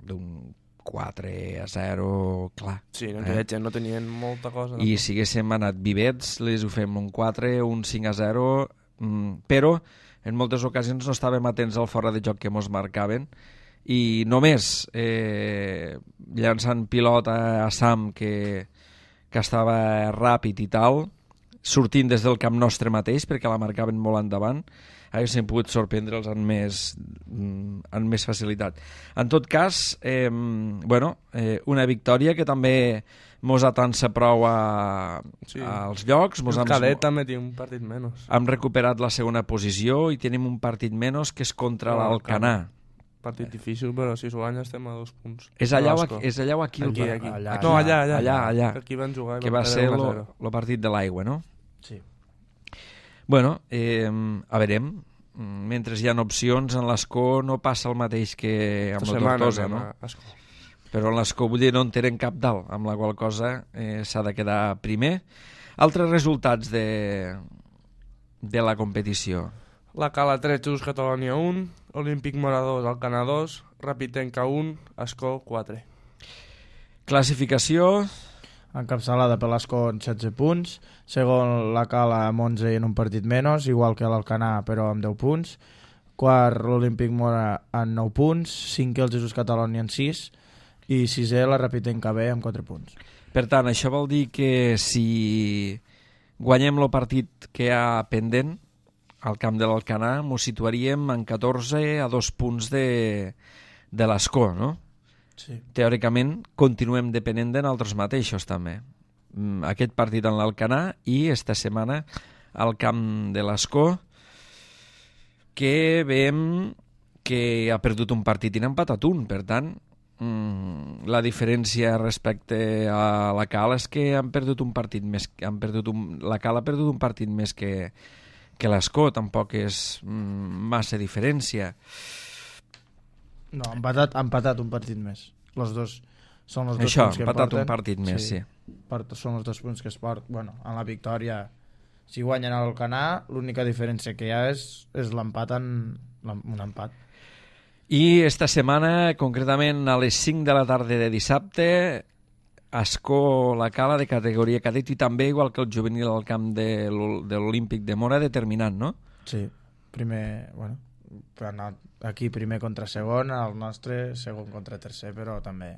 d'un 4-0, clar. Sí, no tenien molta cosa. I si haguéssim anat vivets, les ho fem un 4, un 5-0, però en moltes ocasions no estàvem atents al fora de joc que mos marcaven i només llançant pilota a Sam que estava ràpid i tal, sortint des del camp nostre mateix perquè la marcaven molt endavant, haguéssim pogut sorprendre'ls amb més facilitat. En tot cas, una victòria que també mos atansa prou als llocs. El Cadet també té un partit menys. Hem recuperat la segona posició i tenim un partit menys que és contra l'Alcanar. Partit difícil, però si s'ho guanya estem a 2 punts. És allà o aquí? Aquí. Allà. Aquí van jugar. Que va ser el partit de l'aigua, no? Sí. Bueno, a veurem. Mentre hi ha opcions, en l'Escó no passa el mateix que amb la Tortosa, no? Però en l'Escó vull dir no en tenen cap dalt, amb la qual cosa s'ha de quedar primer. Altres resultats de la competició. La Cala 3, Jesús Catalunya 1, Olímpic Mora 2, Alcanar 2, Rapitenca 1, Escó 4. Classificació. Encapçalada per l'Escó amb 16 punts, segon la Cala amb 11 i en un partit menys, igual que l'Alcanar però amb 10 punts, quart l'Olímpic Mora amb 9 punts, cinquè el Jesús Catalunya amb 6 i sisè la Rapitenca B amb 4 punts. Per tant, això vol dir que si guanyem el partit que hi ha pendent al camp de l'Alcanar, ens situaríem en 14 a 2 punts de l'Escó, no? Sí. Teòricament continuem depenent de nosaltres mateixos també. Aquest partit en l'Alcanar i esta setmana al camp de l'Escó, que veiem que ha perdut un partit i n'ha empatat un, per tant la diferència respecte a la Cala és que han perdut un partit més, la Cala ha perdut un partit més que l'Escó, tampoc és massa diferència. No, ha empatat un partit més. Els dos són els dos punts que empatat porten. Un partit més, sí. Són els 2 punts que es porten. Bueno, en la victòria, si guanyen a l'Alcanar, l'única diferència que hi ha és l'empat un empat. I esta setmana, concretament a les 5 de la tarda de dissabte, Escó la Cala de categoria cadet i també, igual que el juvenil al camp de l'Olímpic de Mora, determinant, no? Sí, primer, aquí primer contra segon, el nostre segon contra tercer, però també,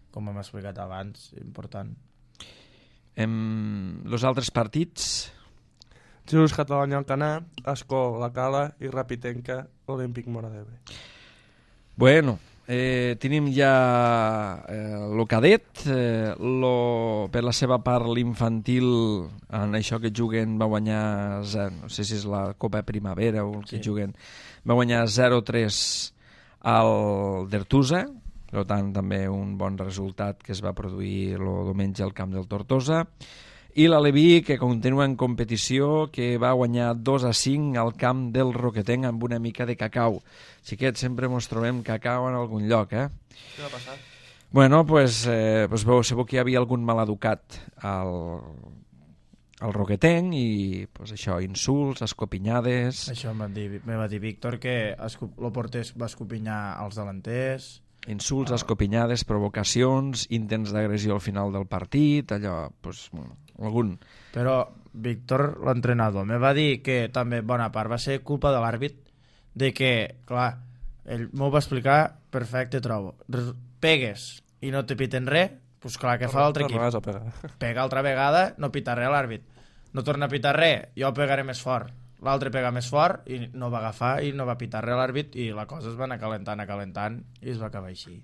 com hem explicat abans, important. Els altres partits? Jesús Catalunya Alcanar, Escó la Cala i Rapitenca Olímpic Mora d'Ebre. Bueno, tenim ja el cadet, per la seva part l'infantil, en això que juguen va guanyar, no sé si és la Copa Primavera o el que juguen, va guanyar 0-3 al d'Ertusa, per tant també un bon resultat que es va produir el diumenge al camp del Tortosa, i l'Aleví, que continua en competició, que va guanyar 2-5 al camp del Roquetenc amb una mica de cacau. Xiquets, sempre ens trobem cacau en algun lloc, eh? Què va passar? Bueno, pues sabeu que hi havia algun maleducat al Roquetenc i pues, això, insults, escopinyades... Això me va dir Víctor, que el porter va escopinyar els delanters... Insults, escopinyades, provocacions, intents d'agressió al final del partit, allò, pues, algun... Però Víctor, l'entrenador, me va dir que també bona part va ser culpa de l'àrbit, de que, clar, ell m'ho va explicar perfecte, trobo. Pegues i no te piten res, doncs clar, què fa l'altre equip? Pega altra vegada, no pita res l'àrbit. No torna a pitar res, jo pegaré més fort. L'altre pega més fort i no va agafar i no va pitar res l'àrbit i la cosa es va anar calentant i es va acabar així.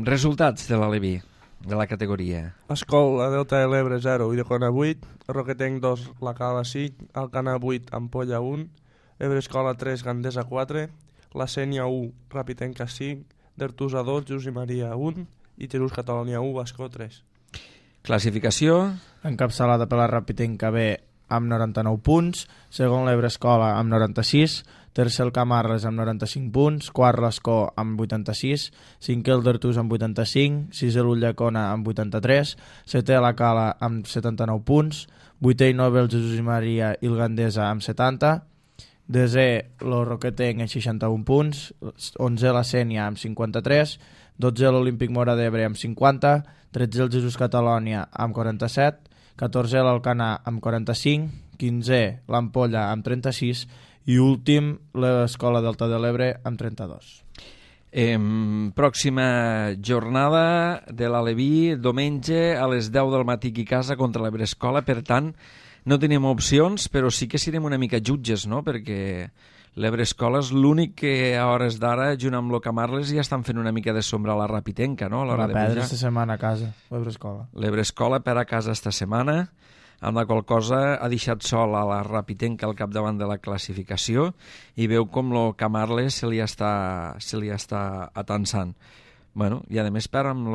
Resultats de l'Aleví, de la categoria. Escol, la Delta de l'Ebre 0, Idecona 8, Roquetenc 2, la Cala 5, Alcanar 8, Ampolla 1, Ebre Escola 3, Gandesa 4, la Sènia 1, Rapitenca 5, d'Ertusa 2, Josep Maria 1 i Jesús Catalunya 1, Escó 3. Classificació. Encapçalada per la Rapitenca B amb 99 punts, segon l'Ebre Escola amb 96, tercer el Camarles amb 95 punts, quart l'Escó amb 86, cinquè el d'Artús amb 85, sisè l'Ulldecona amb 83, setè la Cala amb 79 punts, vuitè i novè el Jesús Maria i el Gandesa amb 70, desè el Roquetenc amb 61 punts, 11è la Sènia amb 53, 12 l'Olímpic Móra d'Ebre amb 50, 13 el Jesús Catalònia amb 47, 14 l'Alcanar amb 45, 15 l'Ampolla amb 36 i últim l'Escola Delta de l'Ebre amb 32. Pròxima jornada de l'Aleví, diumenge a les 10 del matí aquí a casa contra l'Ebre Escola, per tant no tenim opcions, però sí que serem una mica jutges, no? Perquè l'Ebre Escola és l'únic que a hores d'ara, junt amb el Camarles, ja estan fent una mica de sombra a la Rapitenca, no? Va perdre esta setmana a casa, l'Ebre Escola. L'Ebre Escola per a casa esta setmana, amb la qual cosa ha deixat sol a la Rapitenca al capdavant de la classificació i veu com el Camarles se li està atansant. Bueno, i a més per amb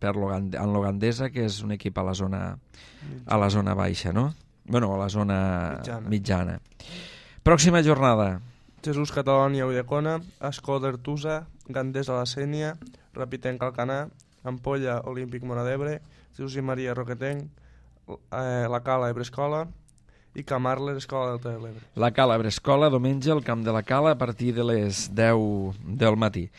Gandesa, que és un equip a la zona baixa, no? Bueno, a la zona mitjana. Pròxima jornada. Jesús Catalònia Ulldecona, Escó d'Artusa, Gandesa la Sénia, Rapitenca Alcanar, Ampolla Olímpic Móra d'Ebre, Jesús i Maria Roquetenc, la Cala Ebre Escola i Camarles Escola Delta de l'Ebre. La Cala Ebre Escola, diumenge al camp de la Cala a partir de les 10 del matí.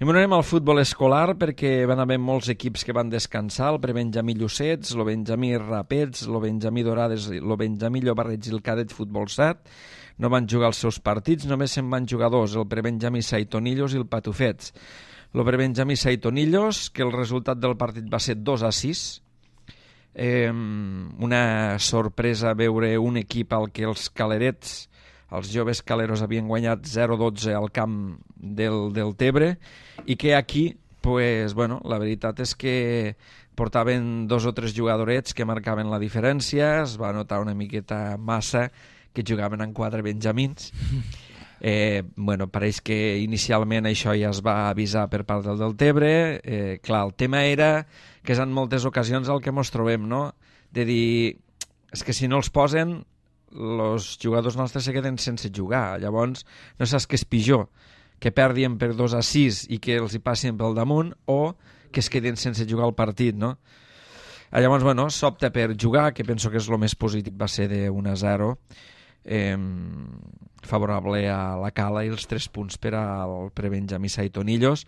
I anem al futbol escolar perquè van haver molts equips que van descansar, el Prebenjamí Llucets, el Benjamí Rapets, el Benjamí Dorades, el Benjamí Llobarrets i el Cadet Futbol 7. No van jugar els seus partits, només se'n van jugar dos, el Prebenjamí Saitonillos i el Patufets. El Prebenjamí Saitonillos, que el resultat del partit va ser 2-6. Una sorpresa veure un equip al que els calerets, els joves caleros, havien guanyat 0-12 al camp del Tebre i que aquí, pues, bueno, la veritat és que portaven 2 o 3 jugadorets que marcaven la diferència, es va notar una miqueta massa que jugaven en 4 benjamins. Bueno, pareix que inicialment això ja es va avisar per part del Tebre. Clar, el tema era que és en moltes ocasions el que ens trobem, no? De dir, és que si no els posen, els jugadors nostres se queden sense jugar. Llavors, no saps què és pitjor, que perdien per 2-6 i que els hi passin pel damunt, o que es queden sense jugar el partit, no? Llavors, bueno, s'opta per jugar, que penso que és el més positiu, va ser de 1-0, favorable a la Cala i els 3 punts per al Prebenjamí Saitonillos,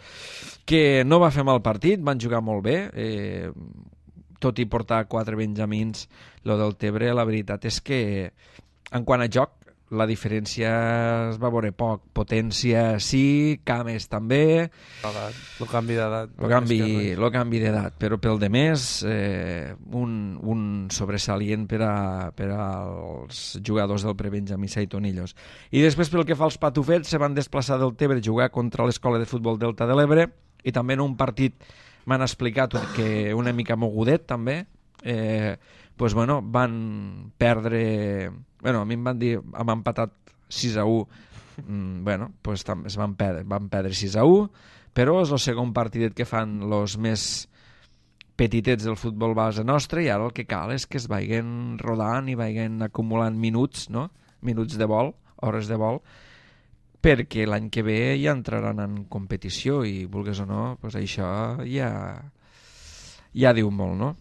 que no va fer mal partit, van jugar molt bé, tot i portar 4 benjamins, lo del Tebre, la veritat és que en quant a joc la diferència es va veure poc. Potència sí, cames també. El canvi d'edat. El canvi d'edat, però pel de més un sobresalient per als jugadors del Prebenjamí Saitonillos. I després pel que fa als Patufets, se van desplaçar del Tebre a jugar contra l'Escola de Futbol Delta de l'Ebre i també en un partit m'han explicat que una mica mogudet també, pues bueno, van perdre, bueno, a mi em van dir, hem empatat 6-1, bueno, pues es van perdre 6-1, però és el segon partidet que fan els més petitets del futbol base nostre i ara el que cal és que es vagin rodant i vagin acumulant minuts, no? Minuts de vol, hores de vol, perquè l'any que ve ja entraran en competició i, vulgues o no, pues això ja diu molt, no?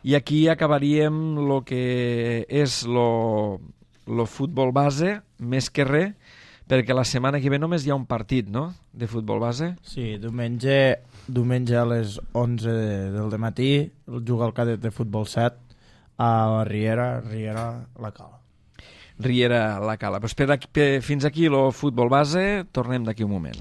I aquí acabaríem el que és el futbol base, més que res, perquè la setmana que ve només hi ha un partit, no?, de futbol base. Sí, diumenge a les 11 del matí juga el Cadet de Futbol 7 a Riera, la Cala. Riera, la Cala. Pues fins aquí el futbol base, tornem d'aquí un moment.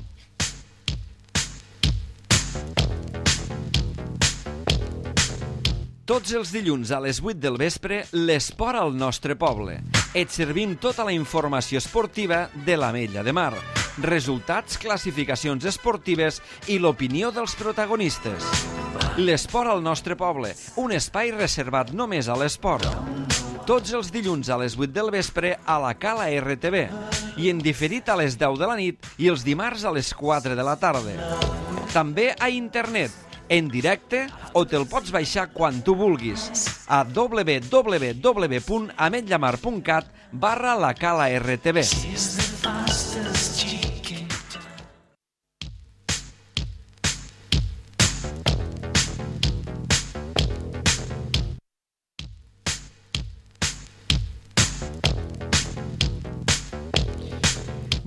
Tots els dilluns a les 8 del vespre, l'esport al nostre poble. Et servim tota la informació esportiva de l'Ametlla de Mar, resultats, classificacions esportives i l'opinió dels protagonistes. L'esport al nostre poble, un espai reservat només a l'esport. Tots els dilluns a les 8 del vespre a la Cala RTV i en diferit a les 10 de la nit i els dimarts a les 4 de la tarda. També a internet, en directe, o te'l pots baixar quan tu vulguis a www.ametllamar.cat/lacala-rtv.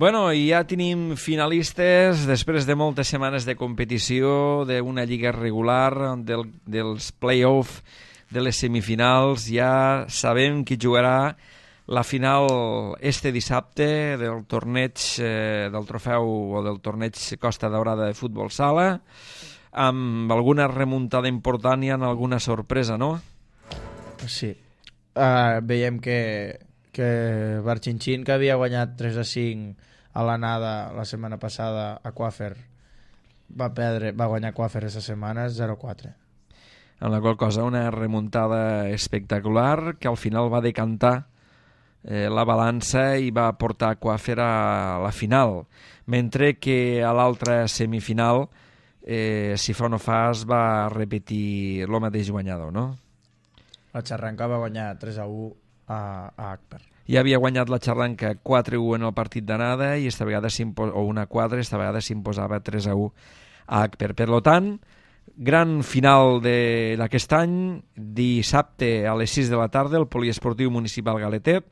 Bueno, i ja tenim finalistes després de moltes setmanes de competició, d'una lliga regular, dels play-off, de les semifinals. Ja sabem qui jugarà la final este dissabte del torneig del trofeu o del torneig Costa Daurada de futbol sala, amb alguna remuntada important i amb alguna sorpresa, no? Sí. Veiem que Barchinchín, que havia guanyat 3-5 a l'anada la setmana passada a Quafer, va guanyar Quafer aquesta setmana 0-4. En la qual cosa una remuntada espectacular que al final va decantar la balança i va portar Quafer a la final, mentre que a l'altra semifinal, si fa o no fa, es va repetir el mateix guanyador, no? La Xarranca va guanyar 3-1 a Akper. Ja havia guanyat la Xarranca 4-1 en el partit d'anada i esta vegada o 1-4, esta vegada s'imposava 3-1 a Akper. Per tant, gran final d'aquest any, dissabte a les 6 de la tarda, el Poliesportiu Municipal Galeter,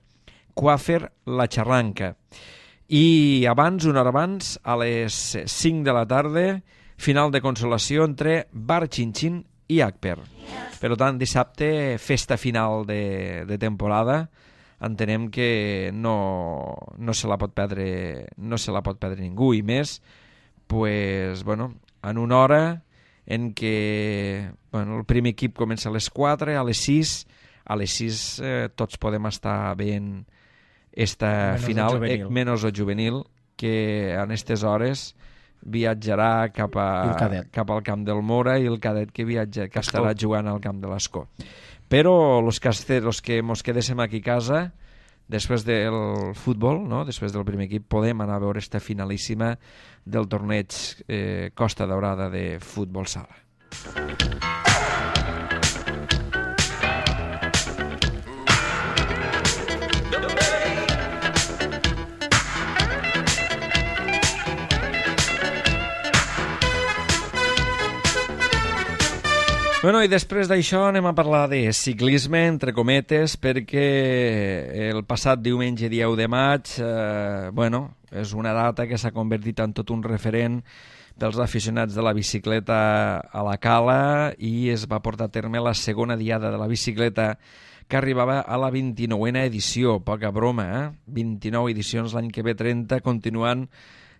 Quafer, la Xarranca. I abans, una hora abans, a les 5 de la tarda, final de consolació entre Barchinchín i Akper. Per tant, dissabte, festa final de temporada. Entenem que no se la pot perdre ningú, i més pues, bueno, en una hora en què el primer equip comença a les 4, a les 6 tots podem estar veient esta final, menys el juvenil, que en aquestes hores viatjarà cap al camp del Mora, i el cadet que estarà jugant al camp de l'Escó. Però los que mos quedéssim aquí a casa, després del futbol, no? Després del primer equip, podem anar a veure esta finalíssima del torneig Costa Daurada de futbol sala. Bueno, i després d'això anem a parlar de ciclisme, entre cometes, perquè el passat diumenge, dia 1 de maig, és una data que s'ha convertit en tot un referent pels aficionats de la bicicleta a la Cala, i es va portar a terme la segona diada de la bicicleta, que arribava a la 29a edició, poca broma, 29 edicions l'any que ve, 30, continuant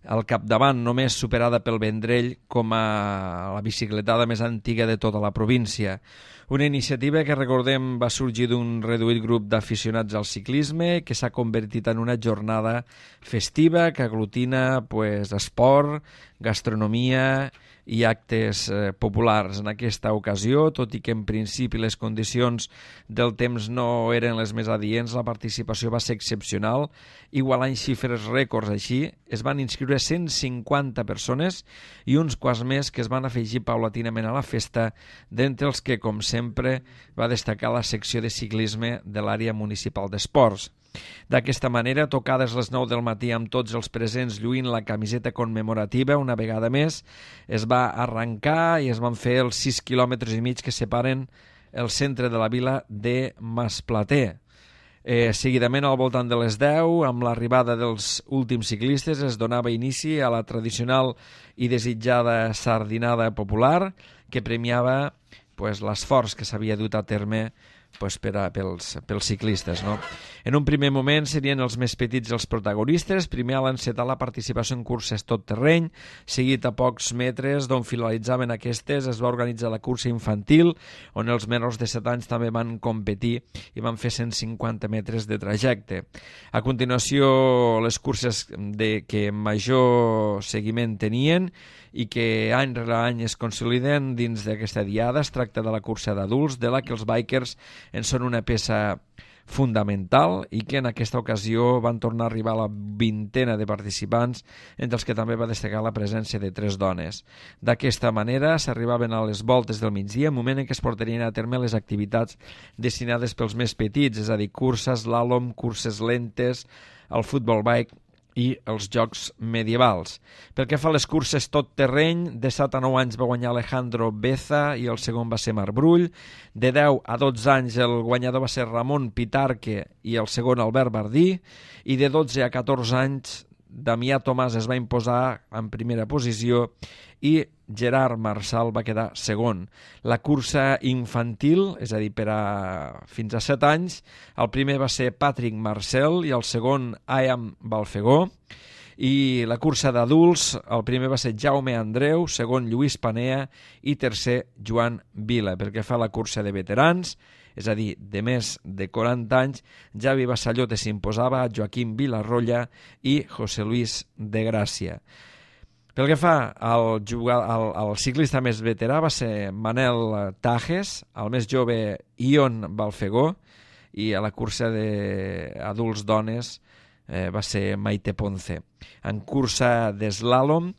al capdavant, només superada pel Vendrell com a la bicicletada més antiga de tota la província. Una iniciativa que, recordem, va sorgir d'un reduït grup d'aficionats al ciclisme, que s'ha convertit en una jornada festiva que aglutina esport, gastronomia i actes populars. En aquesta ocasió, tot i que en principi les condicions del temps no eren les més adients, la participació va ser excepcional, igualant xifres rècords. Així, es van inscriure 150 persones i uns quants més que es van afegir paulatinament a la festa, d'entre els que, com sempre, va destacar la secció de ciclisme de l'àrea municipal d'esports. D'aquesta manera, tocades les 9 del matí amb tots els presents lluint la camiseta commemorativa, una vegada més es va arrencar i es van fer els 6 quilòmetres i mig que separen el centre de la vila de Masplater. Seguidament, al voltant de les 10, amb l'arribada dels últims ciclistes, es donava inici a la tradicional i desitjada sardinada popular, que premiava l'esforç que s'havia dut a terme pels ciclistes, no? En un primer moment serien els més petits els protagonistes. Primer a l'encetar la participació en curses tot terreny, seguit a pocs metres d'on finalitzaven aquestes es va organitzar la cursa infantil, on els menors de 7 anys també van competir i van fer 150 metres de trajecte. A continuació, les curses que major seguiment tenien i que any rere any es consoliden dins d'aquesta diada. Es tracta de la cursa d'adults, de la que els bikers en són una peça fundamental i que en aquesta ocasió van tornar a arribar a la 20ena de participants, entre els que també va destacar la presència de 3 dones. D'aquesta manera s'arribaven a les voltes del migdia, moment en què es portarien a terme les activitats destinades pels més petits, és a dir, curses, l'àlom, curses lentes, el futbol bike i els jocs medievals. Pel que fa a les curses tot terreny, de 7 a 9 anys va guanyar Alejandro Beza i el segon va ser Marc Brull. De 10 a 12 anys el guanyador va ser Ramon Pitarque i el segon Albert Bardí. I de 12 a 14 anys Damià Tomàs es va imposar en primera posició i Gerard Marçal va quedar segon. La cursa infantil, és a dir, fins a 7 anys, el primer va ser Patrick Marcel i el segon Ayam Balfegó. I la cursa d'adults, el primer va ser Jaume Andreu, segon Lluís Panea i tercer Joan Vila. Pel que fa a la cursa de veterans, és a dir, de més de 40 anys, Javi Bassallote s'imposava a Joaquim Vilarroya i José Luis de Gràcia. Pel que fa al ciclista més veterà va ser Manel Tajes, el més jove Ion Balfegó, i a la cursa d'adults dones va ser Maite Ponce. En cursa d'eslàlom,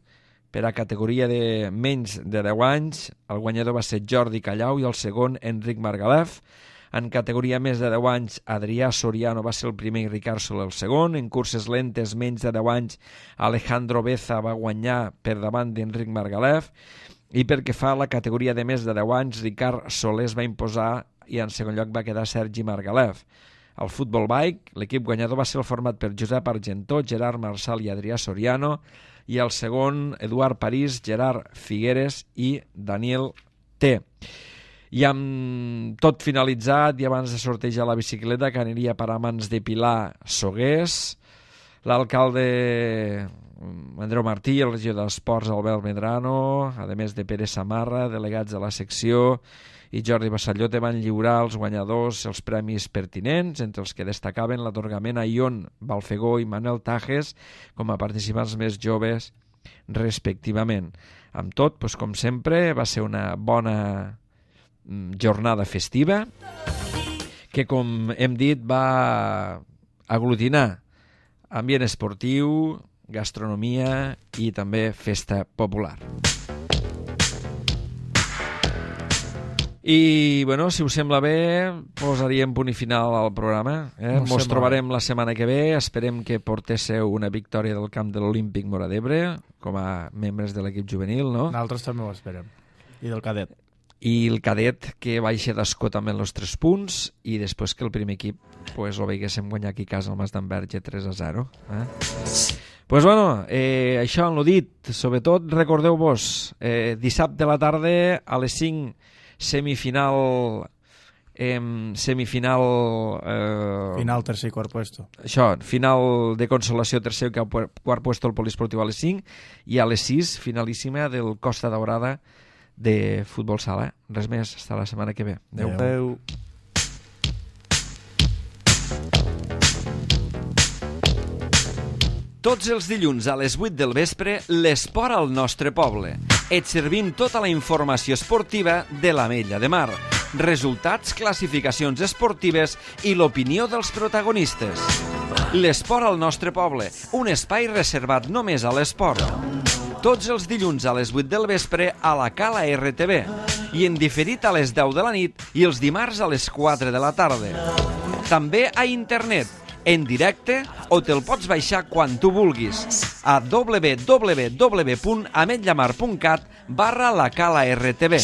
per a categoria de menys de 10 anys, el guanyador va ser Jordi Callau i el segon Enric Margalef. En categoria més de 10 anys, Adrià Soriano va ser el primer i Ricard Soler el segon. En curses lentes menys de 10 anys, Alejandro Beza va guanyar per davant d'Enric Margalef. I pel que fa a la categoria de més de 10 anys, Ricard Soler es va imposar i en segon lloc va quedar Sergi Margalef. Al futbol bike, l'equip guanyador va ser el format per Josep Argentó, Gerard Marçal i Adrià Soriano, i el segon, Eduard París, Gerard Figueres i Daniel T. I amb tot finalitzat, i abans de sortejar la bicicleta, que aniria per a mans de Pilar Sogués, l'alcalde Andreu Martí, el regidor d'Esports Albert Medrano, a més de Pere Samarra, delegats de la secció, i Jordi Bassallote van lliurar als guanyadors els premis pertinents, entre els que destacaven l'atorgament a Ion Balfegó i Manel Tajes com a participants més joves respectivament. Amb tot, com sempre, va ser una bona jornada festiva que, com hem dit, va aglutinar ambient esportiu, gastronomia i també festa popular. I, si us sembla bé, posaríem punt i final al programa. Ens trobarem la setmana que ve. Esperem que portéssiu una victòria del camp de l'Olímpic Móra d'Ebre, com a membres de l'equip juvenil, no? Nosaltres també ho esperem. I del cadet. I el cadet que baixa d'escó també en els 3 punts i després que el primer equip ho veiéssim guanyar aquí a casa al Mas d'Enverge 3-0. Això en lo dit. Sobretot, recordeu-vos, dissabte a la tarda a les 5 final tercer i quart puesto. Això, final de consolació tercer i quart puesto al Poliesportiu a les 5 i a les 6 finalíssima del Costa Daurada de futbol sala. Res més, fins la setmana que ve. Adéu. Tots els dilluns a les 8 del vespre, l'esport al nostre poble. Et servim tota la informació esportiva de l'Ametlla de Mar, resultats, classificacions esportives i l'opinió dels protagonistes. L'esport al nostre poble, un espai reservat només a l'esport. Tots els dilluns a les 8 del vespre a la Cala RTV i en diferit a les 10 de la nit i els dimarts a les 4 de la tarda. També a internet, en directe, o te'l pots baixar quan tu vulguis a www.ametllamar.cat/la Cala RTV.